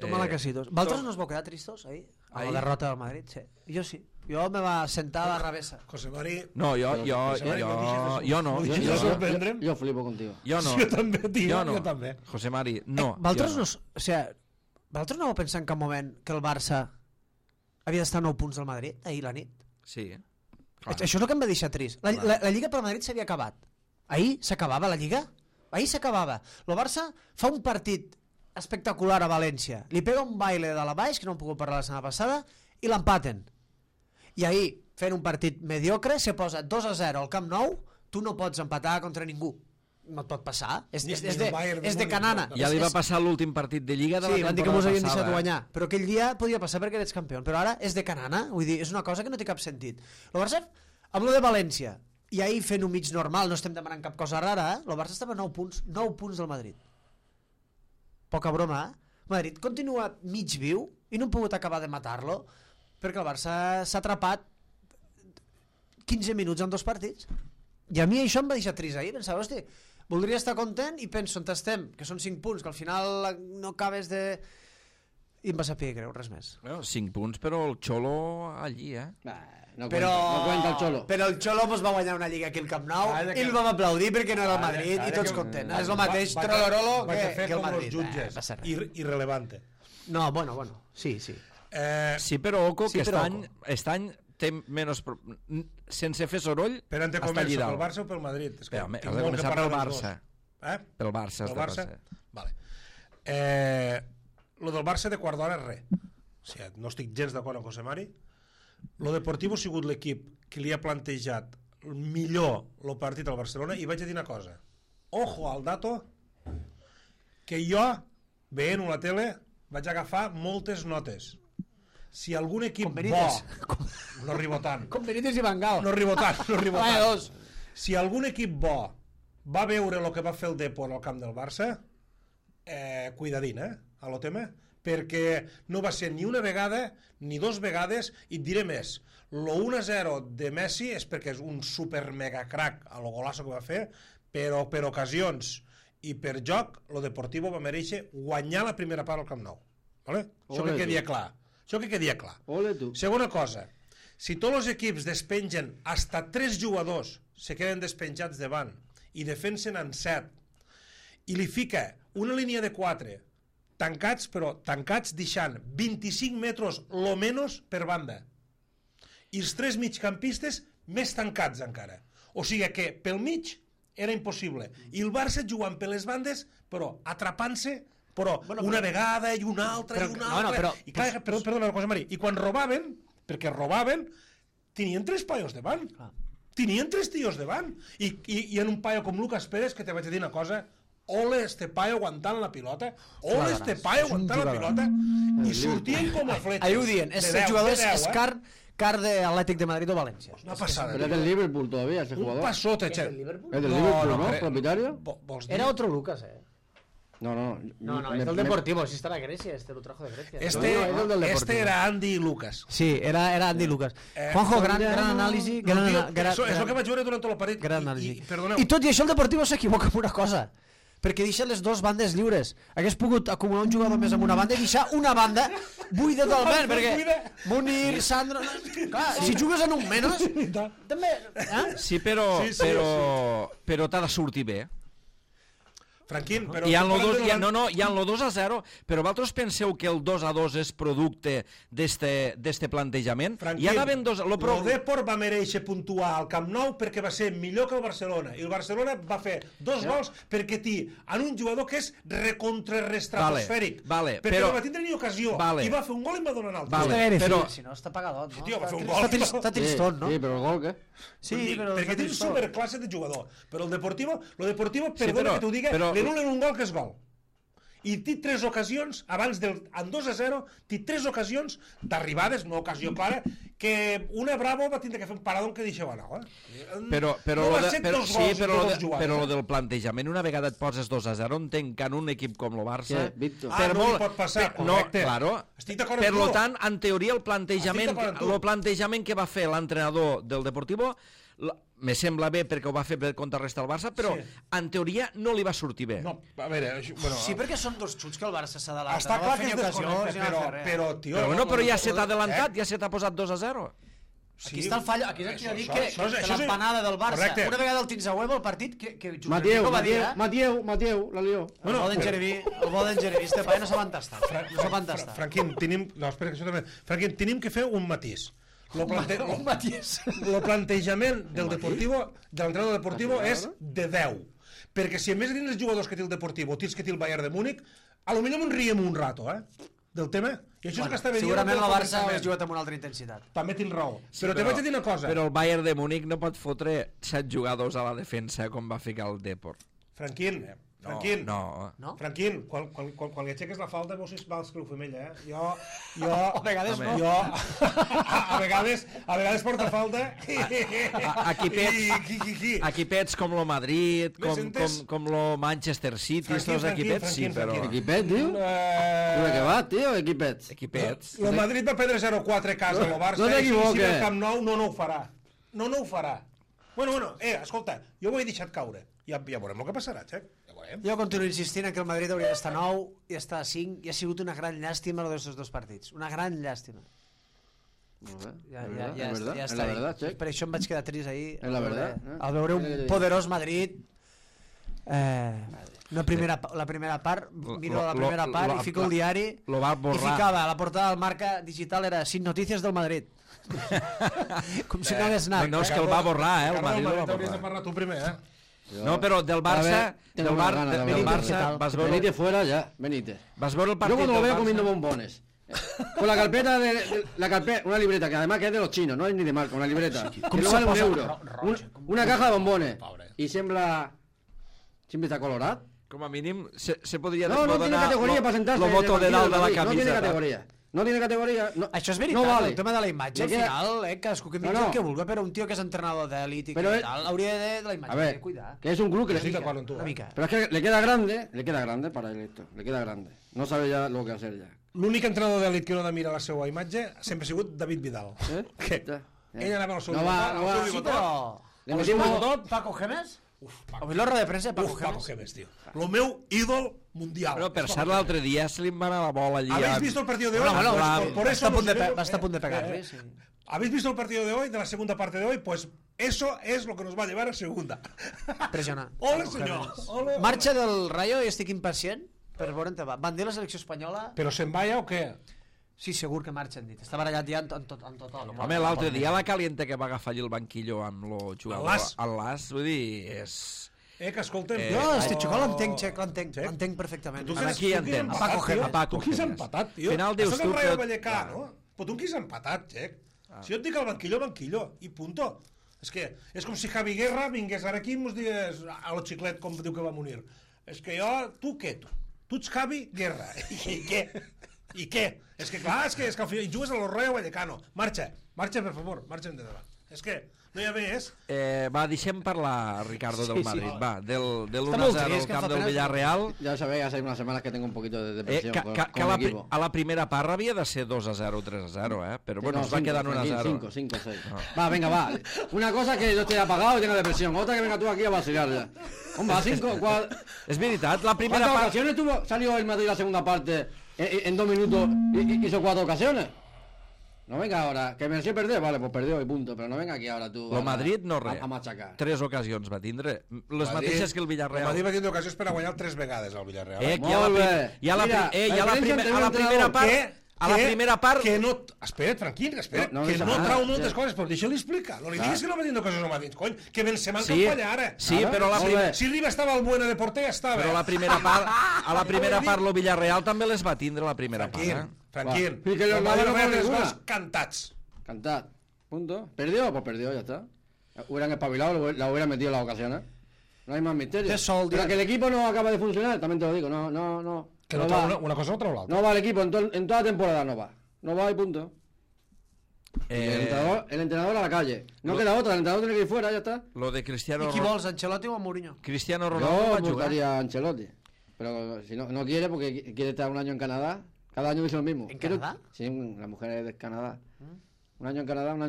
[SPEAKER 4] Toma la casitos. Vosaltres no us vau quedar tristos ahir? A la derrota del Madrid, sí. Jo sí. Jo me va sentar a la revessa.
[SPEAKER 2] José Mari...
[SPEAKER 1] No, jo no.
[SPEAKER 6] Jo flipo contigo.
[SPEAKER 1] Jo no.
[SPEAKER 2] Jo també, tio. Jo també.
[SPEAKER 1] José Mari, no.
[SPEAKER 4] Vosaltres no... O sigui, vosaltres no vau pensar en cap moment que el Barça havia d'estar a 9 punts del Madrid ahir la nit?
[SPEAKER 1] Sí.
[SPEAKER 4] Això és el que em va deixar trist. La Lliga per Madrid s'havia acabat. Ahir s'acabava la Lliga? Ahir s'acabava. El Barça fa un partit espectacular a València. Li pega un baile de la baix, que no en puc parlar la setmana passada, i l'empaten. I ahir, fent un partit mediocre, se posa 2-0 al Camp Nou, tu no pots empatar contra ningú. No et pot passar. És de canana.
[SPEAKER 1] Ja li va passar l'últim partit de Lliga de la temporada passada.
[SPEAKER 4] Sí, van dir que mos havien deixat guanyar. Però aquell dia podia passar perquè eres campió. Però ara és de canana. Vull dir, és una cosa que no té cap sentit. El Barça, amb lo de València, i ahir fent un mig normal, no estem demanant cap cosa rara, el Barça estava a 9 punts del Madrid. Poca broma, Madrid continua mig viu i no han pogut acabar de matar-lo perquè el Barça s'ha atrapat 15 minuts en 2 partits. I a mi això em va deixar trist ahir, pensava, hosti, voldria estar content i penso on estem, que són 5 punts, que al final no acabes de... I em va saber greu, res més.
[SPEAKER 1] 5 punts, però el Xolo allí,
[SPEAKER 6] No
[SPEAKER 4] Però...
[SPEAKER 6] cuenta el Cholo.
[SPEAKER 4] Però el Xolo pues, va guanyar una lliga aquí al Camp Nou i el vam aplaudir perquè no era el Madrid i tots contents. És el mateix trolorolo que el Madrid.
[SPEAKER 2] Jutges. Irrelevante.
[SPEAKER 4] No, bueno, sí.
[SPEAKER 1] Sí, però oco,
[SPEAKER 4] Sí,
[SPEAKER 1] que
[SPEAKER 4] però
[SPEAKER 1] aquest any té menys... sense fer soroll,
[SPEAKER 2] Però on te
[SPEAKER 1] està
[SPEAKER 2] començo,
[SPEAKER 1] allà
[SPEAKER 2] pel
[SPEAKER 1] dalt.
[SPEAKER 2] Barça o pel Madrid? És que
[SPEAKER 1] Però,
[SPEAKER 2] tinc
[SPEAKER 1] has de
[SPEAKER 2] molt que
[SPEAKER 1] començar
[SPEAKER 2] parlar
[SPEAKER 1] pel
[SPEAKER 2] dels dos.
[SPEAKER 1] Barça. Pel Barça has
[SPEAKER 2] Pel
[SPEAKER 1] de
[SPEAKER 2] Barça?
[SPEAKER 1] passar.
[SPEAKER 2] Vale. Lo del Barça de quart d'hora és res. O sigui, no estic gens d'acord amb José Mari. Lo Deportivo ha sigut l'equip que li ha plantejat millor el partit al Barcelona i vaig a dir una cosa. Ojo al dato que jo, veient-ho a la tele, vaig agafar moltes notes. Si algun equip bo... No arribo tant.
[SPEAKER 4] Com Benítez i Van Gaal.
[SPEAKER 2] No arribo tant.
[SPEAKER 4] Vaya dos.
[SPEAKER 2] Si algun equip bo va veure el que va fer el Depor al camp del Barça, cuidadín, a lo tema, perquè no va ser ni una vegada ni dos vegades, i et diré més, lo 1-0 de Messi és perquè és un super mega crack a lo golasso que va fer, però per ocasions i per joc, lo Deportivo va mereixer guanyar la primera part al Camp Nou, vale? Això que quedia clar.
[SPEAKER 6] Ole tu.
[SPEAKER 2] Segona cosa, si tots els equips despengen hasta 3 jugadors se queden despenjats davant i defensen en 7 i li fica una línia de 4 tancats, però tancats deixant 25 metres lo menos per banda i els 3 migcampistes més tancats encara, o sigui que pel mig era impossible i el Barça jugant per les bandes però atrapant-se però una vegada i una altra i una altra i clar, perdona una cosa Mari, i quan robaven, perquè robaven tenien 3 paios davant tenien 3 tios davant i en un paio com Lucas Pérez, que te vaig dir una cosa, ole este paio aguantant la pilota, ole este paio aguantant la pilota, i sortien com a fletxes.
[SPEAKER 4] Ahí ho dient, este jugador és car de Atlètic de Madrid o València.
[SPEAKER 2] Una passada.
[SPEAKER 6] Pero es del Liverpool todavía, ese
[SPEAKER 2] Un
[SPEAKER 6] jugador.
[SPEAKER 2] passote,
[SPEAKER 4] ¿Es
[SPEAKER 2] che.
[SPEAKER 4] del Liverpool?
[SPEAKER 6] Es del Liverpool, ¿no?
[SPEAKER 2] crec.
[SPEAKER 6] Propietario.
[SPEAKER 2] Vols dir?
[SPEAKER 4] Era otro Lucas,
[SPEAKER 6] No,
[SPEAKER 4] No, es del Deportivo, si está la Grecia, lo trajo de Grecia.
[SPEAKER 2] Este era Andy Lucas.
[SPEAKER 4] Sí, era Andy Lucas. Juanjo, gran anàlisi.
[SPEAKER 2] Això que vaig veure durant tot el partit.
[SPEAKER 4] Gran anàlisi.
[SPEAKER 2] Perdoneu.
[SPEAKER 4] I tot i això el Deportivo s'equivoca en una cosa, perquè deixa les dues bandes lliures. Hagués pogut acumular un jugador més amb una banda i deixar una banda buida totalment, perquè Munir, Sandro... Clar, si jugues en un menys, també...
[SPEAKER 1] Sí, però t'ha de sortir bé.
[SPEAKER 2] Franquín, però...
[SPEAKER 1] Hi ha el 2-0, però vosaltres penseu que el 2-2 és producte d'este plantejament?
[SPEAKER 2] Franquín,
[SPEAKER 1] Hi ha d'haver dos...
[SPEAKER 2] el Depor va mereixer puntuar al Camp Nou perquè va ser millor que el Barcelona, i el Barcelona va fer 2 gols perquè té en un jugador que és recontrarestratosfèric, perquè no va tindre ni ocasió, i va fer un gol i va donar un altre.
[SPEAKER 4] Però... Si no, està pagadot, no?
[SPEAKER 2] Sí, tio, va fer un gol.
[SPEAKER 4] Està tristot, no?
[SPEAKER 6] Sí, però el gol, què?
[SPEAKER 4] Sí, però...
[SPEAKER 2] Perquè té superclasse de jugador, però el Deportivo, perdona que t'ho diga, li anulen un gol que és gol. I té 3 ocasions, abans en 2-0, té 3 ocasions d'arribades, no ocasió clara, que una Bravo va tindre que fer un paradón que deixava anar.
[SPEAKER 1] Però
[SPEAKER 2] lo
[SPEAKER 1] del plantejament, una vegada et poses 2-0, entenc que en un equip com el Barça...
[SPEAKER 2] no li pot passar, correcte. Estic d'acord amb tu.
[SPEAKER 1] Per tant, en teoria, el plantejament que va fer l'entrenador del Deportivo me sembla bé perquè ho va fer per contrarrestar el Barça, però en teoria no li va sortir bé.
[SPEAKER 2] No, a veure...
[SPEAKER 4] Sí, perquè són 2 xuts que el Barça s'ha adelantat.
[SPEAKER 2] Està clar que es desconnecta, però, tio...
[SPEAKER 1] Però ja se t'ha adelantat, ja se t'ha posat 2-0,
[SPEAKER 4] Aquí està el fallo, aquí és el que dic que l'empanada del Barça, una vegada el tens a huevo al partit, que
[SPEAKER 6] Mateu, la lió.
[SPEAKER 4] El bo d'en Jereví, este paio no s'ha tastar.
[SPEAKER 2] Franquín, tenim que fer un matís. El plantejament del Deportivo, de l'entrenador del Deportivo, és de 10. Perquè si a més dins els jugadors que té el Deportivo tens que té el Bayern de Múnich, a lo millor me'n riem un rato, del tema. I això és el que està veient.
[SPEAKER 4] Segurament el Barça hauria jugat amb una altra intensitat.
[SPEAKER 2] També tens raó. Però te vaig a dir una cosa.
[SPEAKER 1] Però el Bayern de Múnich no pot fotre 7 jugadors a la defensa com va ficar el Depor.
[SPEAKER 2] Franquín,
[SPEAKER 1] No.
[SPEAKER 2] Franquín, quan li aixeques la falta veus si vals creu femella, Jo...
[SPEAKER 4] A vegades no.
[SPEAKER 2] A vegades porta falta.
[SPEAKER 1] Equipets com lo Madrid, com lo Manchester City, tots equipets, sí, però...
[SPEAKER 6] Equipet, tio? Què va, tio,
[SPEAKER 1] equipets?
[SPEAKER 2] El Madrid va perdre 0-4 a casa, el Barça, i si el Camp Nou no ho farà. No ho farà. Bueno, escolta, jo ho he deixat caure. Ja veurem el que passarà, xec.
[SPEAKER 4] Jo continuo insistint que el Madrid hauria d'estar 9 i estar a 5 i ha sigut una gran llàstima els dos partits. Una gran llàstima. Ja
[SPEAKER 6] Es verdad,
[SPEAKER 4] està
[SPEAKER 6] es la
[SPEAKER 4] ahí.
[SPEAKER 6] verdad, Check.
[SPEAKER 4] Per això em vaig quedar trist ahir.
[SPEAKER 6] Es la verdad,
[SPEAKER 4] Al veure un poderós Madrid... la primera part, miro la primera part i fico el diari
[SPEAKER 1] Lo va
[SPEAKER 4] i
[SPEAKER 1] borrar.
[SPEAKER 4] ficava, la portada del Marca Digital era sin noticias del Madrid. Com si no hagués anat.
[SPEAKER 1] No, és que el va borrar, el
[SPEAKER 2] Ricardo,
[SPEAKER 1] Madrid el va
[SPEAKER 2] t'hauries de
[SPEAKER 1] borrar.
[SPEAKER 2] parlar tu primer,
[SPEAKER 1] No, però del Barça,
[SPEAKER 6] Tengo unas ganas de
[SPEAKER 1] del
[SPEAKER 6] ver
[SPEAKER 1] Barça vas veure,
[SPEAKER 6] Benítez fuera ya, Benítez.
[SPEAKER 1] vas veure el
[SPEAKER 6] Yo
[SPEAKER 1] partit
[SPEAKER 6] cuando lo
[SPEAKER 1] del
[SPEAKER 6] veo comiendo
[SPEAKER 1] Barça.
[SPEAKER 6] bombones. Con la carpeta la carpeta, una libreta que además que es de los chinos, no es ni de marca, una libreta. Que no vale un euro. Una caja de bombones. Y siempre está colorado.
[SPEAKER 1] Com a mínim se podria
[SPEAKER 6] No tiene
[SPEAKER 1] donar
[SPEAKER 6] categoría para sentarse.
[SPEAKER 1] lo
[SPEAKER 6] en el
[SPEAKER 1] voto de
[SPEAKER 6] banquillo
[SPEAKER 1] dalt de la
[SPEAKER 6] del Madrid. No tiene
[SPEAKER 1] camiseta.
[SPEAKER 6] categoría. No tiene categoría. No.
[SPEAKER 4] Això és veritat,
[SPEAKER 6] No vale.
[SPEAKER 4] el tema de la imatge, al
[SPEAKER 6] Le queda-
[SPEAKER 4] final, cadascú que mira
[SPEAKER 6] No.
[SPEAKER 4] el que vulgui, però un tio que és entrenador d'elit i
[SPEAKER 6] Però
[SPEAKER 4] que
[SPEAKER 6] ell-
[SPEAKER 4] tal, hauria de la imatge,
[SPEAKER 6] A ver,
[SPEAKER 4] cuidar.
[SPEAKER 6] que es un club que
[SPEAKER 2] Sí,
[SPEAKER 6] le...
[SPEAKER 2] d'acord amb tu.
[SPEAKER 4] Una mica.
[SPEAKER 6] Pero es que le queda grande para él esto. Le queda grande. No sabe ya lo que hacer ya.
[SPEAKER 2] L'únic entrenador d'elit que no ha de mirar la seva imatge sempre ha sigut David Vidal.
[SPEAKER 6] ¿Eh?
[SPEAKER 2] Què?
[SPEAKER 6] Ya.
[SPEAKER 2] Ell anava al seu
[SPEAKER 6] No va,
[SPEAKER 2] bigotot,
[SPEAKER 6] no va.
[SPEAKER 2] al
[SPEAKER 4] Sí,
[SPEAKER 2] seu bigotot.
[SPEAKER 4] però...
[SPEAKER 6] Le metimos...
[SPEAKER 4] Paco Gémez?
[SPEAKER 2] Uf,
[SPEAKER 4] Avui l'hora de premsa de Paco
[SPEAKER 2] Paco
[SPEAKER 4] Gémez.
[SPEAKER 2] Gémez, tio. Lo meu ídol mundial.
[SPEAKER 1] Però per
[SPEAKER 2] És
[SPEAKER 1] cert,
[SPEAKER 2] Paco
[SPEAKER 1] l'altre dia se li va anar la bola allí.
[SPEAKER 2] ¿Habéis visto el partido de hoy?
[SPEAKER 4] Bueno,
[SPEAKER 1] Claro,
[SPEAKER 2] Pues por eso
[SPEAKER 4] va estar a punt de pegar-li, sí.
[SPEAKER 2] ¿Habéis visto el partido de hoy, de la segunda parte de hoy? Pues eso es lo que nos va a llevar a segunda.
[SPEAKER 4] Impressionant.
[SPEAKER 2] Ole,
[SPEAKER 4] Paco
[SPEAKER 2] senyor.
[SPEAKER 4] Gémez.
[SPEAKER 2] Ole, ole.
[SPEAKER 4] Marxa del Rayo i estic impacient per veure on te va. Van dir la selecció espanyola...
[SPEAKER 2] ¿Pero se envaya o qué?
[SPEAKER 4] Sí, segur que marxa, han dit. Està barallat ja en tothom.
[SPEAKER 1] Home, l'altre dia la caliente que va agafar allí el banquillo amb lo jugador
[SPEAKER 2] L'As.
[SPEAKER 1] al Las, vull dir, és...
[SPEAKER 2] Que escolta'm...
[SPEAKER 4] No, este xicó l'entenc,
[SPEAKER 2] Xec.
[SPEAKER 4] l'entenc perfectament.
[SPEAKER 2] Tu
[SPEAKER 1] A qui entens?
[SPEAKER 2] empatat,
[SPEAKER 4] Paco
[SPEAKER 2] tio?
[SPEAKER 4] Gémez.
[SPEAKER 1] Paco
[SPEAKER 2] Tu qui has
[SPEAKER 1] Gémez.
[SPEAKER 2] empatat, tio?
[SPEAKER 1] Final dius
[SPEAKER 2] Això
[SPEAKER 1] tu
[SPEAKER 2] del Rayo
[SPEAKER 1] que-
[SPEAKER 2] Vallecà, no? Però tu qui has empatat, Xec? Si jo et dic el banquillo, i punto. És que és com si Javi Guerra vingués ara aquí i mos digués a lo xiclet, com diu que va morir. És que jo... Tu què, tu? Tu ets Javi Guerra. I què? I què? És que clar, és que al final jugues a lo Rayo Vallecano. Marxa, per favor, marxa endavant. És que no hi ha més.
[SPEAKER 1] Va, deixem parlar, Ricardo, del
[SPEAKER 4] Sí, sí.
[SPEAKER 1] Madrid. Va, del
[SPEAKER 4] Està molt
[SPEAKER 1] 1-0 al
[SPEAKER 4] trist, que
[SPEAKER 1] camp
[SPEAKER 4] fa
[SPEAKER 1] del
[SPEAKER 4] pena.
[SPEAKER 1] Villarreal.
[SPEAKER 6] Ya sabéis, hace unas semanas que tengo un poquito de depresión con
[SPEAKER 1] Que
[SPEAKER 6] el equipo.
[SPEAKER 1] a la primera part havia de ser 2-0 o 3-0, pero bueno,
[SPEAKER 6] No,
[SPEAKER 1] es va
[SPEAKER 6] cinco,
[SPEAKER 1] quedar 1-0.
[SPEAKER 6] 5, 6. Va, venga, va. Una cosa que yo estoy apagado y tenga depresión. Otra que venga tú aquí a vacilar ya. Hombre, a 5,
[SPEAKER 1] És veritat, la primera
[SPEAKER 6] ¿cuántas
[SPEAKER 1] part...
[SPEAKER 6] ocasiones salió el Madrid la segunda parte en 2 minutos y hizo 4 ocasiones? No venga ahora, que mereció perder, vale, pues perdió y punto, pero no venga aquí ahora tú
[SPEAKER 1] Lo Madrid no res.
[SPEAKER 6] a machacar.
[SPEAKER 1] 3 ocasions va tindre, les mateixes que el
[SPEAKER 2] El Madrid
[SPEAKER 1] Villarreal.
[SPEAKER 2] va tindre ocasions per a guanyar 3 vegades al Villarreal.
[SPEAKER 1] Que
[SPEAKER 6] Molt bé.
[SPEAKER 1] hi ha la
[SPEAKER 6] Mira,
[SPEAKER 1] primera part... A la primera part...
[SPEAKER 2] Que no... Espera't, tranquil, espera't.
[SPEAKER 6] No, no
[SPEAKER 2] que
[SPEAKER 6] deixa
[SPEAKER 2] no
[SPEAKER 6] anar,
[SPEAKER 2] trau
[SPEAKER 6] ja.
[SPEAKER 2] moltes coses, però deixa-li explicar. No li diguis que no va tindre coses al Madrid, cony. Que Benzema en
[SPEAKER 1] Sí,
[SPEAKER 2] campanya ara.
[SPEAKER 1] sí,
[SPEAKER 6] Ara,
[SPEAKER 1] però
[SPEAKER 6] molt bé.
[SPEAKER 2] Si Riba estava al Buena de porter, ja estava.
[SPEAKER 1] Però a la primera part lo Villarreal també les va tindre la primera part.
[SPEAKER 2] Tranquil.
[SPEAKER 6] Va. Y que los
[SPEAKER 2] El Madrid
[SPEAKER 6] Madrid no
[SPEAKER 2] va guanyar
[SPEAKER 6] ponen
[SPEAKER 2] 3
[SPEAKER 6] ninguna.
[SPEAKER 2] gols cantats.
[SPEAKER 6] Cantad. Punto. ¿Perdió? Pues perdió, ya está. Hubieran espabilado, la hubieran metido en las ocasiones. No hay más misterio.
[SPEAKER 4] Qué sol,
[SPEAKER 6] Pero
[SPEAKER 4] Dios.
[SPEAKER 6] que el equipo no acaba de funcionar, también te lo digo. No.
[SPEAKER 2] Que
[SPEAKER 6] No
[SPEAKER 2] no trau
[SPEAKER 6] va.
[SPEAKER 2] una cosa no trau l'altra.
[SPEAKER 6] No va el equipo, en toda temporada no va. No va y punto. Y el entrenador a la calle. No queda otra, el entrenador tiene que ir fuera, ya está.
[SPEAKER 1] Lo de Cristiano,
[SPEAKER 4] I qui vols, Ancelotti o Mourinho?
[SPEAKER 1] Cristiano Ronaldo
[SPEAKER 6] Yo
[SPEAKER 1] va jugar.
[SPEAKER 6] votaría a Ancelotti. Pero si no quiere, porque quiere estar un año en Canadá, cada año dice lo mismo.
[SPEAKER 4] ¿En
[SPEAKER 6] Quiero-
[SPEAKER 4] Canadá?
[SPEAKER 6] Sí, la mujer es de Canadá. Un año en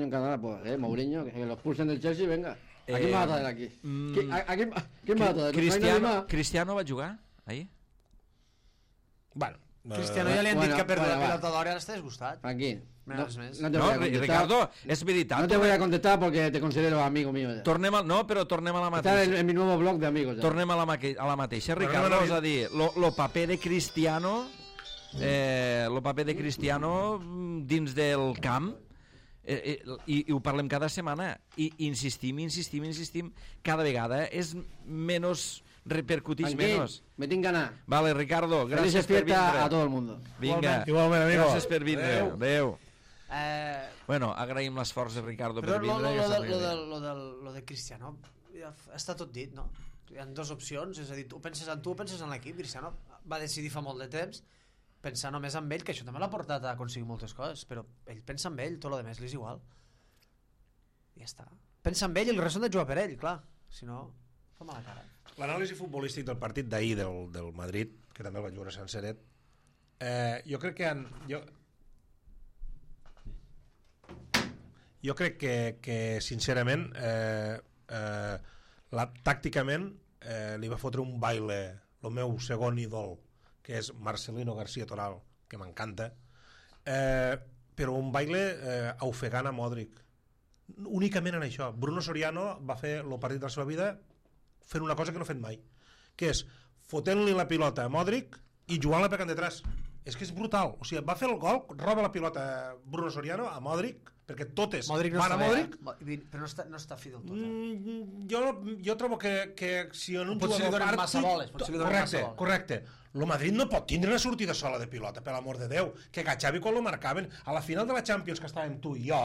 [SPEAKER 6] Canadá, pues, Mourinho, que los pulsen del Chelsea, venga. ¿A quién vas a traer aquí? ¿Quién vas a traer? ¿No hay nadie más?
[SPEAKER 1] Cristiano va jugar ahí?
[SPEAKER 2] Bueno.
[SPEAKER 4] Cristiano ja li han dit
[SPEAKER 6] bueno,
[SPEAKER 4] que ha perdut
[SPEAKER 6] bueno,
[SPEAKER 4] la
[SPEAKER 6] va.
[SPEAKER 4] pilota d'or i ara està disgustat.
[SPEAKER 6] Aquí.
[SPEAKER 4] Res més.
[SPEAKER 6] No te
[SPEAKER 1] No,
[SPEAKER 6] voy a contestar.
[SPEAKER 1] Ricardo, és veritat.
[SPEAKER 6] No te voy a contestar porque te considero amigo mío ya.
[SPEAKER 1] Tornem a, no, però tornem a la
[SPEAKER 6] Estás
[SPEAKER 1] mateixa.
[SPEAKER 6] en mi nuevo blog de amigos ya.
[SPEAKER 1] Tornem a la mateixa,
[SPEAKER 2] Tornem
[SPEAKER 1] Ricardo,
[SPEAKER 2] a la-
[SPEAKER 1] és a dir, lo paper de Cristiano, lo paper de Cristiano dins del camp, i ho parlem cada setmana, i insistim, cada vegada és menys, repercutix
[SPEAKER 6] Tranquil,
[SPEAKER 1] menys.
[SPEAKER 6] me tinc ganar.
[SPEAKER 1] Vale, Ricardo,
[SPEAKER 6] Felices
[SPEAKER 1] gràcies per
[SPEAKER 6] fiestas a
[SPEAKER 1] vindre.
[SPEAKER 6] todo el mundo.
[SPEAKER 1] Vinga,
[SPEAKER 2] Igualment, amigo.
[SPEAKER 1] gràcies per vindre.
[SPEAKER 2] Adéu.
[SPEAKER 1] Adéu.
[SPEAKER 4] Eh,
[SPEAKER 1] Bueno, agraïm l'esforç de Ricardo
[SPEAKER 4] però
[SPEAKER 1] per vindre. que s'arribi.
[SPEAKER 4] lo de Cristiano ja està tot dit, no? Hi ha dues opcions, és a dir, tu penses en tu o penses en l'equip. Cristiano va decidir fa molt de temps pensar només en ell, que això també l'ha portat a aconseguir moltes coses, però ell pensa en ell, tot lo demés li és igual. Ja està. Pensa en ell i el resta han de jugar per ell, clar. Si no, fa mala cara.
[SPEAKER 2] L'anàlisi futbolístic del partit d'ahir del Madrid, que també el vaig veure senceret, jo crec que jo crec que sincerament tàcticament li va fotre un baile el meu segon ídol, que és Marcelino García Toral, que m'encanta, però un baile ofegant a Modric. Únicament en això. Bruno Soriano va fer el partit de la seva vida fent una cosa que no ha fet mai, que és fotent-li la pilota a Modric i jugant-la per detrás. És que és brutal. O sigui, va fer el gol, roba la pilota Bruno Soriano a Modric, perquè totes
[SPEAKER 4] Modric no
[SPEAKER 2] van a Modric.
[SPEAKER 4] Però no està fi del tot.
[SPEAKER 2] Jo trobo que si en un
[SPEAKER 4] Potser li
[SPEAKER 2] jugador
[SPEAKER 4] donen massa boles, potser li donen massa boles.
[SPEAKER 2] Correcte. El Madrid no pot tindre una sortida sola de pilota, per l'amor de Déu. Que a Xavi quan lo marcaven, a la final de la Champions que estàvem tu i jo,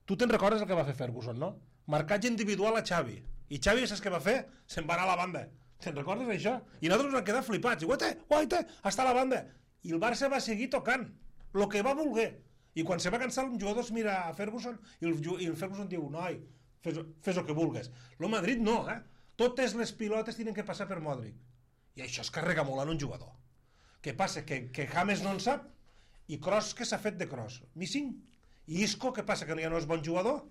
[SPEAKER 2] tu te'n recordes el que va fer Ferguson, no? Marcatge individual a Xavi. I Xavi, saps què va fer? Se'n va anar a la banda. Te'n recordes d'això? I nosaltres ens vam quedar flipats. I guaita, està a la banda. I el Barça va seguir tocant el que va voler. I quan se va cansar, un jugador es mira a Ferguson i el Ferguson diu, noi, fes el que vulgues. El Madrid no, Totes les pilotes tenen que passar per Modric. I això es carrega molt en un jugador. Què passa? Que James no en sap i Kroos que s'ha fet de Kroos. Missing. I Isco, què passa? Que ja no és bon jugador?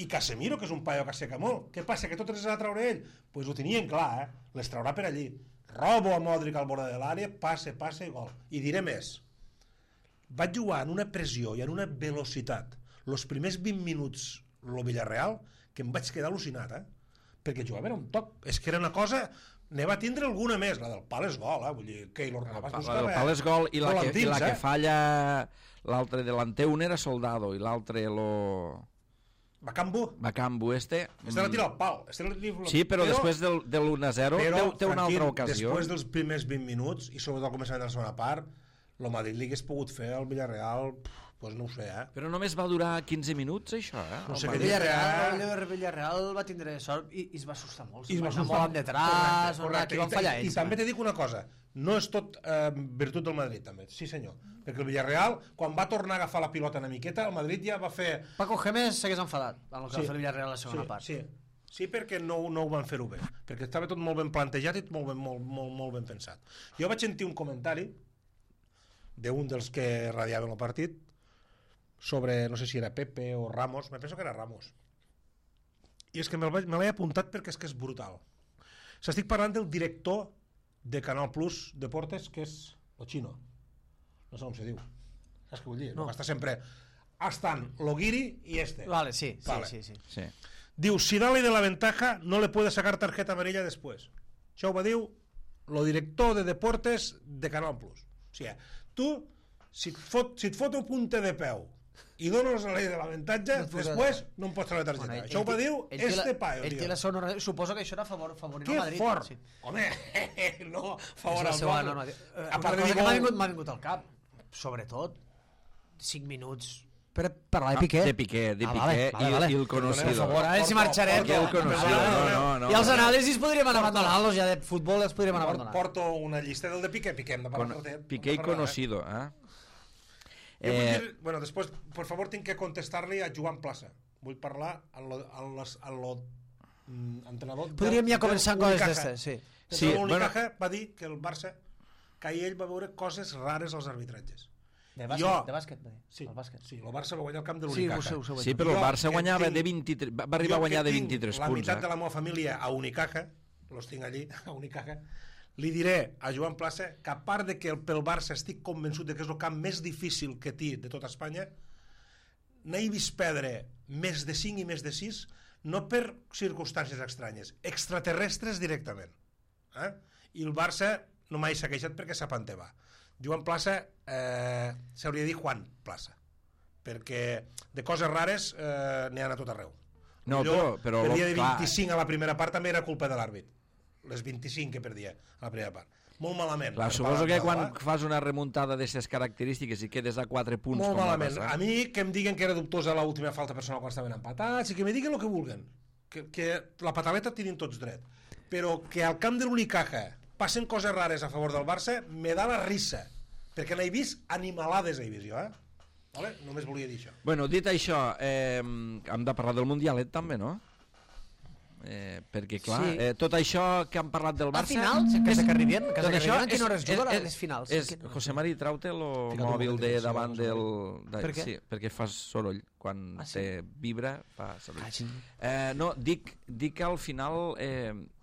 [SPEAKER 2] I Casemiro, que és un paio que asseca molt. Què passa? Que totes les ha de treure ell? Doncs pues ho tenien clar, les traurà per allí. Robo a Modric al bord de l'àrea, passe i gol. I diré més. Vaig jugar en una pressió i en una velocitat els primers 20 minuts el Villarreal que em vaig quedar al·lucinat, perquè jugava era un toc. És que era una cosa... Ne va tindre alguna més, la del pal és gol, vull dir, Keylor Navas buscava...
[SPEAKER 1] La del pal és gol i la que falla l'altre delanter, un era Soldado i l'altre Bakambu este
[SPEAKER 2] la tira al pal.
[SPEAKER 1] Sí, però després del 1-0 té una altra ocasió.
[SPEAKER 2] Després dels primers 20 minuts i sobretot al començament de la segona part, el Madrid li hagués pogut fer al Villarreal, doncs no ho sé,
[SPEAKER 1] Però només va durar 15 minuts, això,
[SPEAKER 2] No sé
[SPEAKER 4] el Villarreal va tindre sort i es va assustar molt. Es va assustar molt detrás, aquí van fallar ells.
[SPEAKER 2] I també te dic una cosa, no és tot virtut del Madrid, també. Sí, senyor. Perquè el Villarreal, quan va tornar a agafar la pilota una miqueta, el Madrid ja va fer...
[SPEAKER 4] Paco Gémez s'hagués enfadat amb el que va fer el Villarreal a la segona part.
[SPEAKER 2] Sí, perquè no ho van fer-ho bé. Perquè estava tot molt ben plantejat i molt ben pensat. Jo vaig sentir un comentari d'un dels que radiaven el partit sobre, no sé si era Pepe o Ramos, me penso que era Ramos. I és que me l'he apuntat perquè és que és brutal. S'estic parlant del director de Canal Plus Deportes, que és el Chino. No sé com se diu. Saps què vull dir? No. Que està sempre... Estan Loguiri i este.
[SPEAKER 4] Vale, sí.
[SPEAKER 2] Diu, si dale de la ventaja, no le puede sacar tarjeta amarilla después. Això ho va dir el director de Deportes de Canal Plus. O sigui, tu, si et fot un punte de peu i dones la llei de l'avantatge, després no em pots treure la targeta. Això ho va dir este paio, tio.
[SPEAKER 4] Suposo que això era favorint
[SPEAKER 2] al
[SPEAKER 4] Madrid.
[SPEAKER 2] Que fort! Sí. Home, no, favor al Madrid.
[SPEAKER 4] Una cosa que m'ha vingut al cap, sobretot, 5 minuts per parlar de Piqué.
[SPEAKER 1] De Piqué i el conocido.
[SPEAKER 4] Per favor, a veure si marxarem.
[SPEAKER 1] I el conocido, no.
[SPEAKER 4] I els anàlisis podríem anar abandonant-los, ja de futbol els podríem anar abandonant.
[SPEAKER 2] Porto una llista del de Piqué, hem de parlar.
[SPEAKER 1] Piqué i conocido,
[SPEAKER 2] Jo vull dir, bueno, després, per favor, tinc que contestar-li a Joan Plaça. Vull parlar a l'entrenador
[SPEAKER 4] podríem ja començar amb coses d'estes,
[SPEAKER 2] sí. L'Unicaja va dir que el Barça, que ell va veure coses rares als arbitratges.
[SPEAKER 4] De bàsquet, va dir.
[SPEAKER 2] Sí, el Barça va guanyar el camp de l'Unicaja.
[SPEAKER 1] Sí, però el Barça guanyava de 23, va arribar a guanyar de 23 punts.
[SPEAKER 2] La meitat de la meva família a Unicaja, los tinc allí, a Unicaja, li diré a Joan Plaça que a part de que pel Barça estic convençut de que és el camp més difícil que té de tota Espanya, n'he vist perdre més de 5 i més de 6, no per circumstàncies estranyes, extraterrestres directament. I el Barça no m'ha saquejat perquè sap on va. Joan Plaça s'hauria de dir Juan Plaça, perquè de coses rares n'hi ha a tot arreu.
[SPEAKER 1] No, però
[SPEAKER 2] el dia de 25 a la primera part també era culpa de l'àrbit, les 25 que perdia a la primera part. Molt malament.
[SPEAKER 1] Clar, suposo que quan fas una remuntada d'aquestes característiques i quedes a 4 punts...
[SPEAKER 2] Molt malament. A mi que em diguen que era dubtosa l'última falta personal quan estaven empatats i que me diguen el que vulguen. Que la pataleta tenen tots dret. Però que al camp de l'Unicaja passen coses rares a favor del Barça me da la risa. Perquè n'he vist animalades, he vist jo, Vale? Només volia dir això.
[SPEAKER 1] Bueno, dit això, hem de parlar del Mundialet també, no? Perquè clar, tot això que han parlat del Barça...
[SPEAKER 4] Al final, que arribem, a quina hora es juga les finals?
[SPEAKER 1] José Mari, trau-te el mòbil de davant del...
[SPEAKER 4] Per què?
[SPEAKER 1] Sí, perquè fas soroll. Quan te vibra, fa soroll. No, dic que al final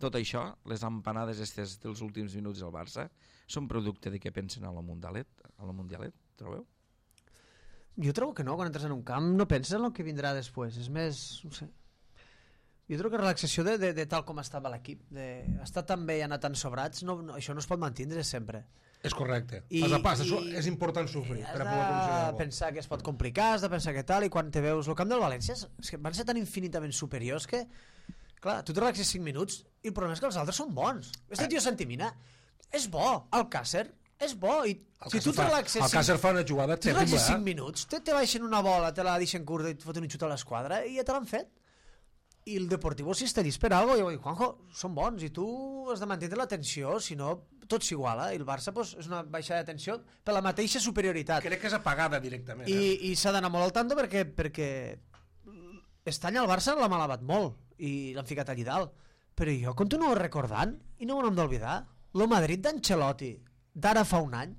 [SPEAKER 1] tot això, les empanades estes dels últims minuts del Barça, són producte de què pensen a la Mundialet, trobeu?
[SPEAKER 4] Jo trobo que no, quan entres en un camp no penses en el que vindrà després, és més, no sé. Jo trobo que relaxació de tal com estava l'equip, d'estar tan bé i anar tan sobrats, això no es pot mantindre sempre.
[SPEAKER 2] És correcte. És important sofrir per a poder aconseguir
[SPEAKER 4] Has de pensar que es pot complicar, has de pensar que tal, i quan te veus el camp del València és que van ser tan infinitament superiors que, clar, tu te relaxes 5 minuts i el problema és que els altres són bons. Este tio Santimina és bo, el Càcer és bo, i si tu te relaxes...
[SPEAKER 2] El Càcer fa una jugada terrible,
[SPEAKER 4] 5 minuts, te baixen una bola, te la deixen curta i et foten un xut a l'esquadra i ja te l'han fet. I el Deportivo si està dist per algo, i Juanjo, són bons i tu has de mantenir la tensió, si no tot s'iguala, i el Barça pues, és una baixada de tensió per la mateixa superioritat.
[SPEAKER 2] Crec que és apagada directament.
[SPEAKER 4] I s'ha d'anar molt al tanto perquè aquest any el Barça l'ha malabat molt i l'han ficat allí dalt, però jo continuo recordant i no m'ho hem d'oblidar el Madrid d'Ancelotti d'ara fa un any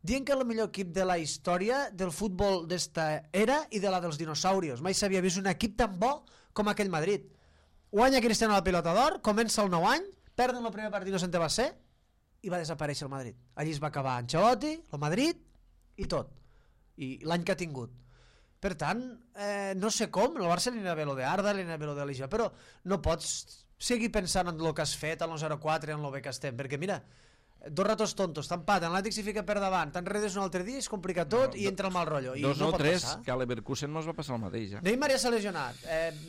[SPEAKER 4] dient que és el millor equip de la història del futbol d'esta era i de la dels dinosaurios. Mai s'havia vist un equip tan bo com aquell Madrid. Guanya Cristiano la pilota d'or, comença el nou any, perden el primer partit, no se'n va ser, i va desaparèixer el Madrid. Allí es va acabar Ancelotti, el Madrid i tot. I l'any que ha tingut. Per tant, no sé com, el Barça li anirà bé lo de Arda, li anirà bé lo de l'Ixa, però no pots seguir pensant en el que has fet, en el 0-4, en el bé que estem, perquè mira, dos ratos tontos, t'empaten, l'Atlètic s'hi fica per davant, t'enredes un altre dia, es complica tot i entra el mal rotllo. I no pot
[SPEAKER 1] tres,
[SPEAKER 4] passar.
[SPEAKER 1] que a l'Everkusen mos va passar el mateix.
[SPEAKER 4] Neymar ja s'ha lesionat.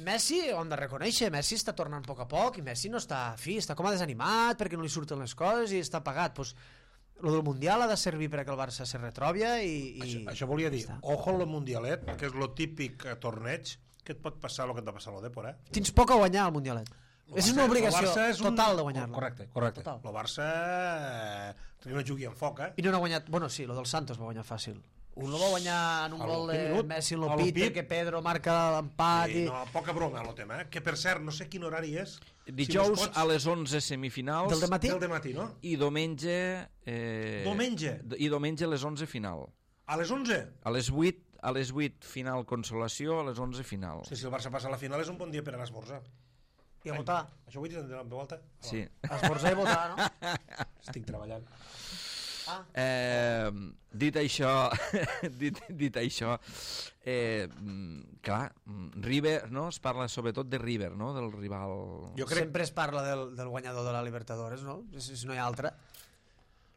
[SPEAKER 4] Messi, ho hem de reconèixer, Messi està tornant a poc a poc i Messi no està fi, està com a desanimat perquè no li surten les coses i està apagat. Pues, lo del Mundial ha de servir perquè el Barça se retrobia i...
[SPEAKER 2] Això volia dir, ojo al Mundialet, que és lo típic torneig que et pot passar el que et va passar a l'Odepor,
[SPEAKER 4] Tens poc a guanyar al Mundialet. És una obligació total de guanyar-lo.
[SPEAKER 2] Correcte. El Barça no jugui amb foc,
[SPEAKER 4] I no ha guanyat... Bueno, sí, lo del Santos va guanyar fàcil. Un no va guanyar en un gol de Messi en l'Opit, perquè Pedro marca l'empat i...
[SPEAKER 2] No, poca broma el tema, que per cert, no sé quin horari és.
[SPEAKER 1] Dijous a les 11 semifinals.
[SPEAKER 4] Del dematí?
[SPEAKER 2] Del dematí, no?
[SPEAKER 1] I diumenge...
[SPEAKER 2] Diumenge?
[SPEAKER 1] I diumenge a les 11 final.
[SPEAKER 2] A les 11?
[SPEAKER 1] A les 8 final consolació, a les 11 final.
[SPEAKER 2] Sí, si el Barça passa a la final és un bon dia per anar a esmorzar.
[SPEAKER 4] I a votar.
[SPEAKER 2] Això ho he dit en volta?
[SPEAKER 1] Sí.
[SPEAKER 4] Esmorzar i votar, no?
[SPEAKER 2] Estic treballant.
[SPEAKER 1] Dit això, clar, River, no? Es parla sobretot de River, no? Del rival...
[SPEAKER 4] Sempre es parla del guanyador de la Libertadores, no? Si no hi ha altra.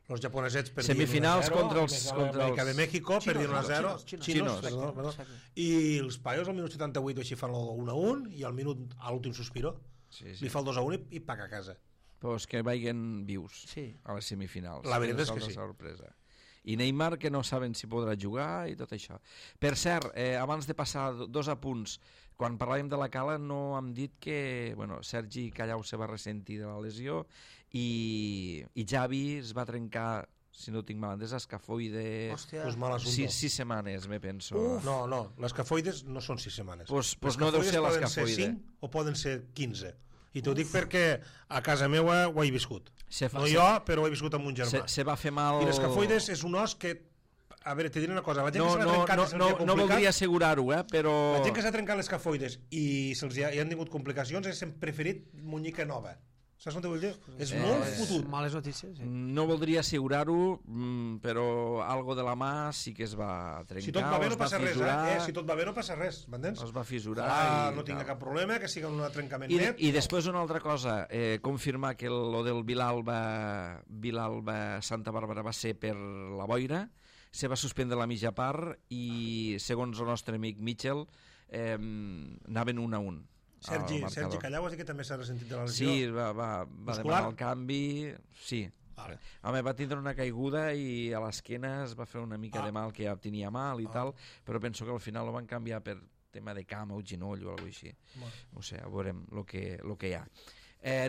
[SPEAKER 2] Los japonesets perdien
[SPEAKER 1] semifinals
[SPEAKER 2] 1-0,
[SPEAKER 1] contra els
[SPEAKER 2] Amèrica de México perdien 1-0.
[SPEAKER 1] Xinos.
[SPEAKER 2] Perdó. I els paios al minut 78 així fan el 1-1 i al minut, a l'últim sospiro, li fa el 2-1 i paga a casa.
[SPEAKER 1] Però és que vaguen vius a les semifinals.
[SPEAKER 2] La veritat és que sí.
[SPEAKER 1] Sorpresa. I Neymar, que no saben si podrà jugar i tot això. Per cert, abans de passar 2 apunts, quan parlàvem de la Cala no hem dit que Sergi Callau se va ressentir de la lesió i Xavi es va trencar, si no tinc mal entès, escafoide...
[SPEAKER 2] Pues
[SPEAKER 1] 6 setmanes, me penso.
[SPEAKER 2] No, l'escafoides no són 6 setmanes.
[SPEAKER 1] Pues no deu ser l'escafoide.
[SPEAKER 2] Poden ser 5 o poden ser 15. I t'ho dic perquè a casa meva ho he viscut. No jo, però ho he viscut amb un germà.
[SPEAKER 1] Se va fer mal...
[SPEAKER 2] I l'escafoides és un os que... A veure, te diré una cosa.
[SPEAKER 1] No voldria assegurar-ho, però...
[SPEAKER 2] La gent que s'ha trencat l'escafoides i se'ls hi han tingut complicacions hem preferit muñeca nova. Saps què vull dir? És molt fotut.
[SPEAKER 4] Males notícies, sí.
[SPEAKER 1] No voldria assegurar-ho, però algo de la mà sí que es va trencar.
[SPEAKER 2] Si tot va bé no passa res, Si tot va bé no passa res, m'entens?
[SPEAKER 1] Es va fissurar.
[SPEAKER 2] No tinc cap problema, que sigui un trencament net.
[SPEAKER 1] I després una altra cosa, confirmar que lo del Vilalba Santa Bàrbara va ser per la boira, se va suspendre la mitja part i, segons el nostre amic Mitchell, anaven 1-1.
[SPEAKER 2] Sergi Callau ha dit que també s'ha ressentit de la lesió.
[SPEAKER 1] Sí, va demanar el canvi. Sí.
[SPEAKER 2] Vale.
[SPEAKER 1] Home, va tindre una caiguda i a l'esquena es va fer una mica de mal, que ja tenia mal i tal, però penso que al final ho van canviar per tema de cama o ginoll o alguna cosa així. No sé, a veurem el que hi ha.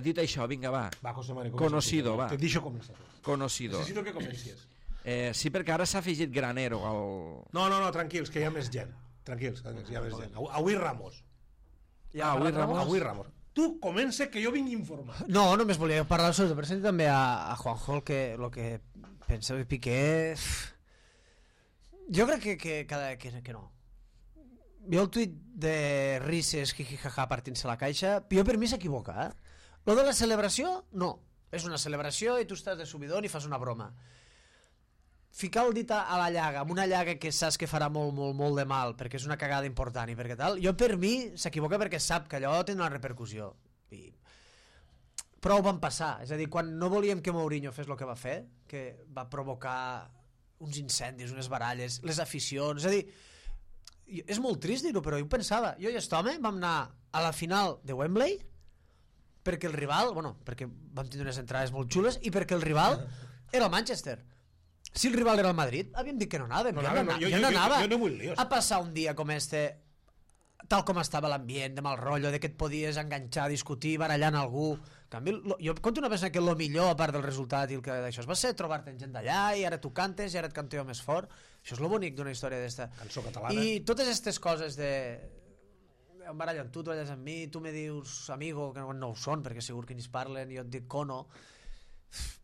[SPEAKER 1] Dit això, vinga, va.
[SPEAKER 2] José Mari,
[SPEAKER 1] Conocido, va.
[SPEAKER 2] Te deixo començar.
[SPEAKER 1] Conocido.
[SPEAKER 2] Necessito que comencies.
[SPEAKER 1] Sí, perquè ara s'ha afegit Granero al...
[SPEAKER 2] No, tranquils, que hi ha més gent. Tranquils, hi ha més gent. Avui Ramos. Avui Ramos. Tu comença que jo vinc informat.
[SPEAKER 4] No, només volia parlar sobre el present també a Juanjo el que pensa de Piqué. Jo crec que no. Jo el tuit de Rises jijijaja partint-se la caixa, jo per mi s'equivoca, Lo de la celebració, no. És una celebració i tu estàs de subidón i fas una broma. ficar el dit a la llaga, amb una llaga que saps que farà molt, molt, molt de mal, perquè és una cagada important i perquè tal, jo per mi s'equivoca perquè sap que allò té una repercussió. I prou van passar, és a dir, quan no volíem que Mourinho fes el que va fer, que va provocar uns incendis, unes baralles, les aficions, és a dir, és molt trist dir-ho, però jo pensava, jo i aquest home vam anar a la final de Wembley perquè el rival, perquè vam tindre unes entrades molt xules i perquè el rival era el Manchester. Si el rival era el Madrid, havíem dit que no anàvem, jo no anava a passar un dia com este, tal com estava l'ambient, de mal rotllo, de que et podies enganxar, discutir, barallant algú. En canvi, jo conto una persona que el millor, a part del resultat i el que d'això, va ser trobar-te en gent d'allà i ara tu cantes i ara et canteo més fort. Això és lo bonic d'una història d'esta.
[SPEAKER 2] Cançó catalana.
[SPEAKER 4] I totes aquestes coses de... em barallo amb tu baralles amb mi, tu me dius amigo, que no ho són, perquè segur que ni es parlen, jo et dic cono.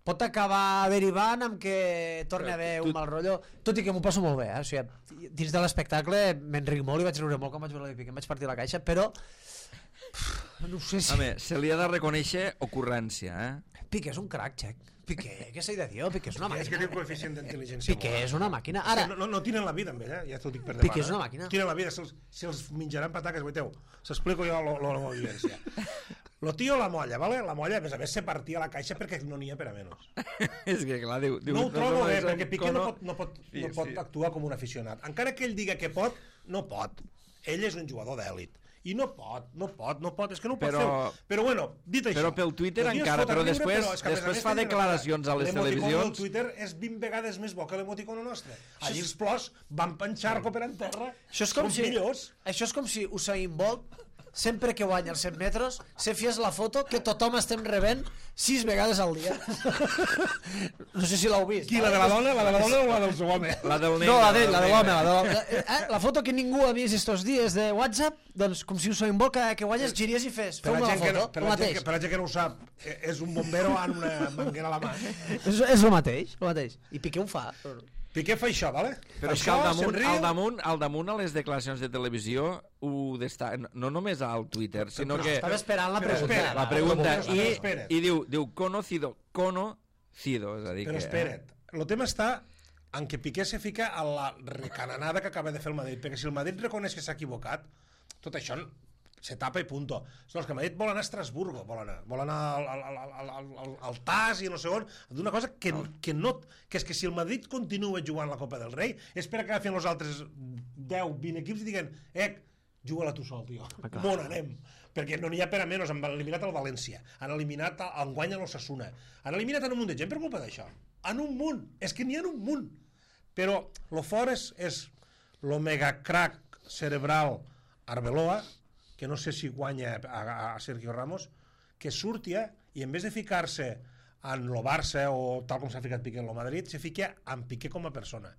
[SPEAKER 4] Pot acabar derivant amb que torni a haver un mal rotllo, tot i que m'ho passo molt bé, o sigui, dins de l'espectacle m'enric molt i vaig riure molt quan vaig veure l'Epic, em vaig partir la caixa, però no sé si...
[SPEAKER 1] Home, se li ha de reconèixer ocurrència,
[SPEAKER 4] Piqué és un crack, Check. Piqué, què s'ha de dir? Piqué és una màquina.
[SPEAKER 2] És que té un coeficient d'intel·ligència.
[SPEAKER 4] Piqué és una màquina. Ara...
[SPEAKER 2] No tienen la vida amb ell, ja t'ho dic per
[SPEAKER 4] Piqué és una màquina.
[SPEAKER 2] Tienen la vida, si els menjaran pataques, veiteu, s'explico jo la meva vivència. Lo tío la molla, ¿vale? La molla, a més se partia la caixa perquè no n'hi ha per a menys.
[SPEAKER 1] És que clar, diu...
[SPEAKER 2] No ho trobo bé, perquè Piqué no pot actuar com un aficionat. Encara que ell diga que pot, no pot. Ell és un jugador d'èlit. I no pot, és que no ho pot fer. Però bueno, dit això...
[SPEAKER 1] Però pel Twitter encara, però després fa declaracions a les televisions...
[SPEAKER 2] L'emoticon del Twitter és 20 vegades més bo que l'emoticono nostre. Allí els plors van penxar-lo per en terra.
[SPEAKER 4] Això és com si Usain Bolt, sempre que guanya els 100 metres, se fies la foto que tothom estem rebent 6 vegades al dia. No sé si l'heu vist.
[SPEAKER 2] Qui, la de la dona o la del seu home?
[SPEAKER 1] La del nen.
[SPEAKER 4] No, la de l'home. La foto que ningú ha vist estos dies de WhatsApp, doncs com si Usain Bolt que guanyes giries i fes. Feu-me la foto, el mateix.
[SPEAKER 2] Per la gent que no ho sap, és un bombero amb una manguera a la mà.
[SPEAKER 4] És el mateix. I Piqué ho fa.
[SPEAKER 2] Piqué fa això, vale?
[SPEAKER 1] Però és que al damunt a les declaracions de televisió no només al Twitter, sinó que...
[SPEAKER 4] Estava esperant la pregunta.
[SPEAKER 1] I diu conocido, és a dir
[SPEAKER 2] però espera't, el tema està en què Piqué se fica a la recananada que acaba de fer el Madrid, perquè si el Madrid reconeix que s'ha equivocat, tot això se tapa i punto. Els que a Madrid volen anar a Estrasburgo, volen anar al TAS i no sé on, d'una cosa que és que si el Madrid continua jugant la Copa del Rei és per acabar fent els altres 10-20 equips i diguen, juga-la tu sol, tio, on anem? Perquè no n'hi ha per a menys, han eliminat el València, han eliminat enguany a l'Osasuna, han eliminat en un munt de gent per culpa d'això, en un munt, és que n'hi ha un munt, però lo fort és lo megacrack cerebral Arbeloa, que no sé si guanya a Sergio Ramos, que surti i en vez de ficar-se en lo Barça o tal com s'ha ficat Piqué en lo Madrid, se fica en Piqué com a persona.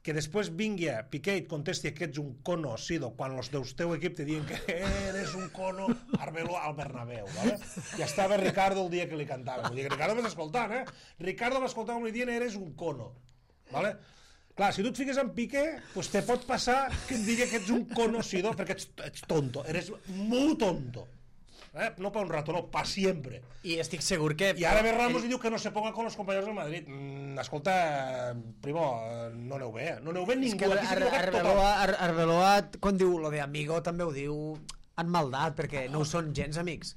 [SPEAKER 2] Que després vingui Piqué i et contesti que ets un cono, Sido, quan els del teu equip te diuen que eres un cono, Arbeloa al Bernabéu, ¿vale? I estava Ricardo el dia que li cantava. Vull dir que Ricardo m'està escoltant, Ricardo m'escoltava i li dient eres un cono, ¿vale? Clar, si tu et fiques en Piqué, pues te pot passar que et digui que ets un conocido, perquè ets tonto, eres molt tonto. No per un rato, no, per sempre.
[SPEAKER 4] I estic segur que...
[SPEAKER 2] I ara ve Ramos i diu que no se ponga con los compañeros del Madrid. Escolta, primo, no aneu bé. No aneu bé ningú.
[SPEAKER 4] Arbeloa, quan diu lo de amigo, també ho diu en maldat, perquè no ho són gens amics.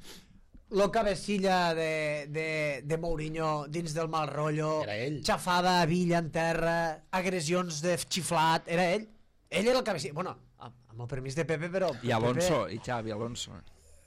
[SPEAKER 4] Lo cabecilla de Mourinho dins del mal rotllo, xafada a Villa en terra, agressions de xiflat, era ell. Ell era el cabecilla. Bueno, amb el permís de Pepe, però...
[SPEAKER 1] I Alonso, i Xavi Alonso.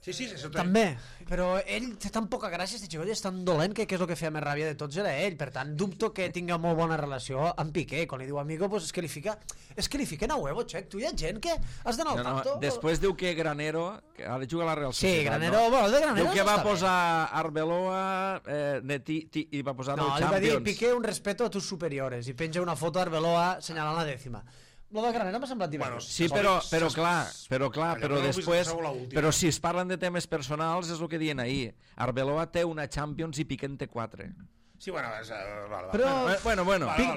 [SPEAKER 2] Sí, això
[SPEAKER 4] també, però ell té tan poca gràcia, este xicot, és tan dolent que és el que feia més ràbia de tots era ell, per tant dubto que tinga molt bona relació amb Piqué, quan li diu amigo, pues és que li fiquen a huevo, Check, tu hi ha gent que has d'anar al tanto.
[SPEAKER 1] Després diu que Granero, que ha de jugar a la Real Societat.
[SPEAKER 4] Sí, Granero, bueno, el de Granero
[SPEAKER 1] diu que va posar Arbeloa i va posar el Champions.
[SPEAKER 4] No, li va dir Piqué un respeto a tus superiores i penja una foto d'Arbeloa senyalant la dècima. Lo de Granero m'ha semblat divertit.
[SPEAKER 1] Sí, però clar, però després... Però si es parlen de temes personals, és el que diuen ahir. Arbeloa té una Champions i Piqué en té 4.
[SPEAKER 2] Sí, bueno...
[SPEAKER 4] Però...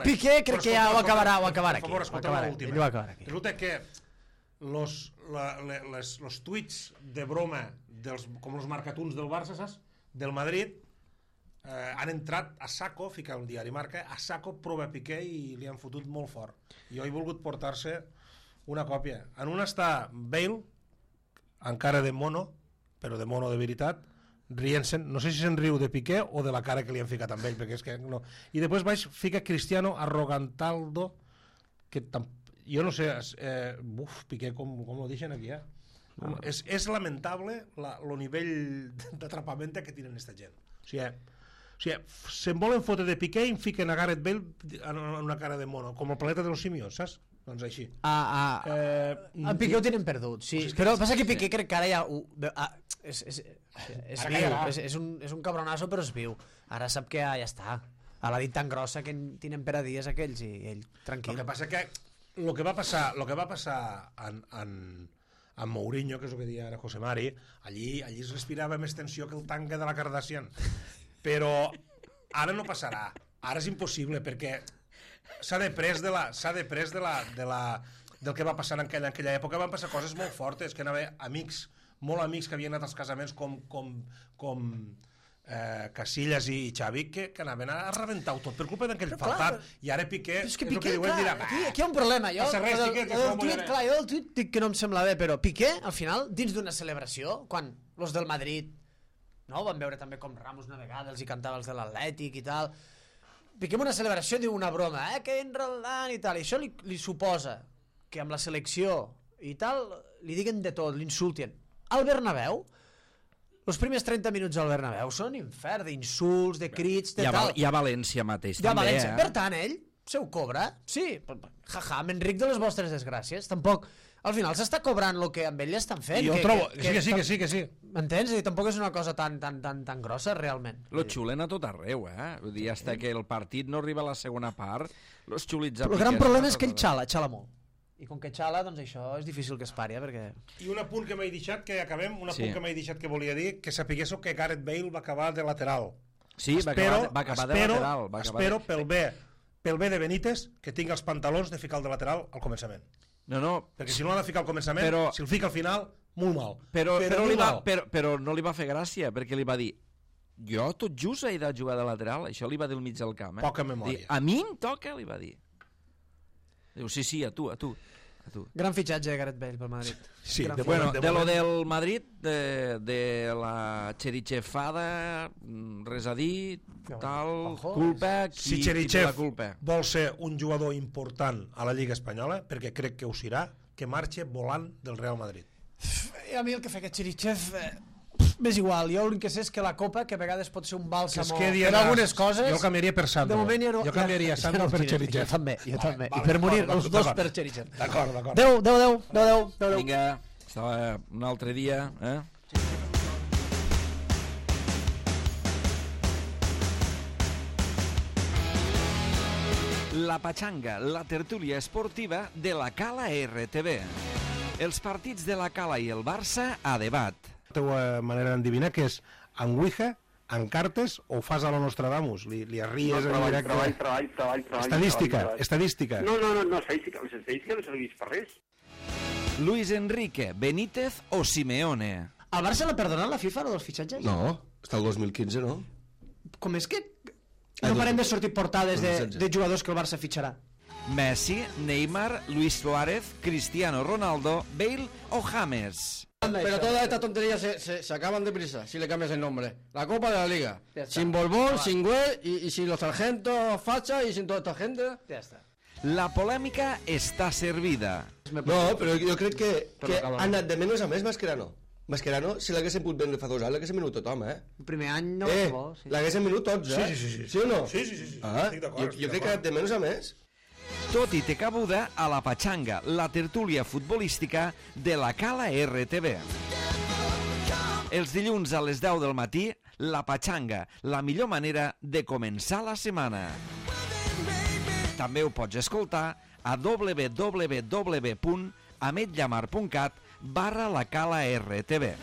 [SPEAKER 4] Piqué crec que ja ho acabarà aquí.
[SPEAKER 2] Per favor, escolta l'última. Resulta que los tuits de broma, com els marcatuns del Barça, saps? Del Madrid, han entrat a saco, fica el diari Marca, a saco prova Piqué i li han fotut molt fort. Jo he volgut portar-se una còpia. En una està Bale, encara de mono, però de mono de veritat, rient-se'n, no sé si se'n riu de Piqué o de la cara que li han ficat amb ell, perquè és que no. I després baix fica Cristiano Arrogantaldo, que jo no sé, Piqué com lo deixen aquí, és lamentable el nivell d'atrapament que tenen aquesta gent. O sigui, se'n volen fotre de Piqué i em fiquen a Gareth Bale en una cara de mono, com el planeta de los simios, saps? Doncs així.
[SPEAKER 4] En Piqué ho tenen perdut, sí. Però passa que Piqué crec que ara ja... És viu, és un cabronazo, però és viu. Ara sap que ja està. A la dit tan grossa que tenen per a dies aquells i ell tranquil.
[SPEAKER 2] El que passa que el que va passar amb Mourinho, que és el que deia ara José Mari, allí es respirava més tensió que el tanque de la Kardashian. Però ara no passarà. Ara és impossible, perquè s'ha després del que va passar en aquella època. Van passar coses molt fortes, que anava amics, molt amics que havien anat als casaments com Casillas i Xavi, que anaven a rebentar-ho tot per culpa d'aquell faltat. I ara Piqué
[SPEAKER 4] és que Piqué, aquí hi ha un problema. Jo del tuit dic que no em sembla bé, però Piqué, al final, dins d'una celebració, quan els del Madrid van veure també com Ramos una vegada els hi cantava els de l'Atlètic i tal, Piqué en una celebració diu una broma, que enredant i tal, i això li suposa que amb la selecció i tal li diguen de tot, l'insultin. Al Bernabéu, els primers 30 minuts al Bernabéu són infern d'insults, de crits, de tal.
[SPEAKER 1] I a València mateix,
[SPEAKER 4] també, València. Per tant, ell se ho cobra, sí, jaja, m'enric de les vostres desgràcies, tampoc... Al final s'està cobrant el que amb ell estan fent.
[SPEAKER 2] Jo trobo que sí.
[SPEAKER 4] M'entens? Tampoc és una cosa tan grossa, realment.
[SPEAKER 1] Lo xulen a tot arreu, Vull dir, hasta que el partit no arriba a la segona part, los xulits...
[SPEAKER 4] El gran problema és que ell xala molt. I com que xala, doncs això és difícil que es pari, perquè...
[SPEAKER 2] I un apunt que m'he deixat, que acabem, que volia dir, que sapiguéssiu que Gareth Bale va acabar de lateral.
[SPEAKER 1] Sí, va acabar de lateral.
[SPEAKER 2] Espero pel bé de Benítez que tingui els pantalons de ficar el de lateral al començament.
[SPEAKER 1] No.
[SPEAKER 2] Perquè si no l'ha de ficar al començament, si el fica al final, molt mal.
[SPEAKER 1] Però no li va fer gràcia, perquè li va dir jo tot just he de jugar de lateral, això li va dir al mig del camp.
[SPEAKER 2] Poca memòria.
[SPEAKER 1] A mi em toca, li va dir. Diu, sí, a tu.
[SPEAKER 4] Gran fitxatge de Gareth Bale pel Madrid.
[SPEAKER 2] Sí,
[SPEAKER 1] de lo del Madrid, de la Cherichefada, res a dir, tal, culpa,
[SPEAKER 2] si Cherichev vol ser un jugador important a la Lliga Espanyola, perquè crec que ho serà, que marxe volant del Real Madrid.
[SPEAKER 4] A mi el que fa aquest Cherichev... M'és igual, jo l'únic que sé és que la Copa, que a vegades pot ser un bàlsam per algunes coses...
[SPEAKER 2] Jo canviaria per Sandro. Jo canviaria Sandro per Cherichev.
[SPEAKER 4] Jo també. I per morir els dos per Cherichev.
[SPEAKER 2] D'acord.
[SPEAKER 4] Adéu.
[SPEAKER 1] Vinga, estava un altre dia, La Pachanga, la tertúlia esportiva de la Cala RTV. Els partits de la Cala i el Barça a debat.
[SPEAKER 2] La teva manera d'endevinar que és en Ouija, en cartes, o fas a lo Nostradamus? Li arries...
[SPEAKER 3] Treball.
[SPEAKER 2] Estadística.
[SPEAKER 3] No, estadística. Les estadístiques no serveix per res.
[SPEAKER 1] Luis Enrique, Benítez o Simeone?
[SPEAKER 4] Al Barça l'ha perdonat la FIFA, dels fitxatges?
[SPEAKER 5] No, està el 2015, no?
[SPEAKER 4] Com és que no parem de sortir portades de jugadors que el Barça fitxarà?
[SPEAKER 1] Messi, Neymar, Luis Suárez, Cristiano Ronaldo, Bale o James?
[SPEAKER 6] Pero todas estas tonterías se acaban deprisa si le cambias el nombre. La Copa de la Liga. Sin Borbón, sin Güell y sin los sargentos Facha y sin toda esta gente.
[SPEAKER 4] Ja està.
[SPEAKER 1] La polèmica està servida.
[SPEAKER 5] No, però jo crec que ha anat de menys a més Mascherano. Mascherano, si l'haguessin pogut vendre fa 2 anys, l'haguessin venut tothom,
[SPEAKER 4] El primer any no va bo.
[SPEAKER 5] L'haguessin venut tots,
[SPEAKER 2] Sí.
[SPEAKER 5] Sí o no?
[SPEAKER 2] Sí.
[SPEAKER 5] Estic d'acord. Jo crec que ha anat de menys a més.
[SPEAKER 1] Tot i té cabuda a la Pachanga, la tertúlia futbolística de la Cala RTV. Els dilluns a les 10 del matí, la Pachanga, la millor manera de començar la setmana. També ho pots escoltar a www.ametllamar.cat/la Cala RTV.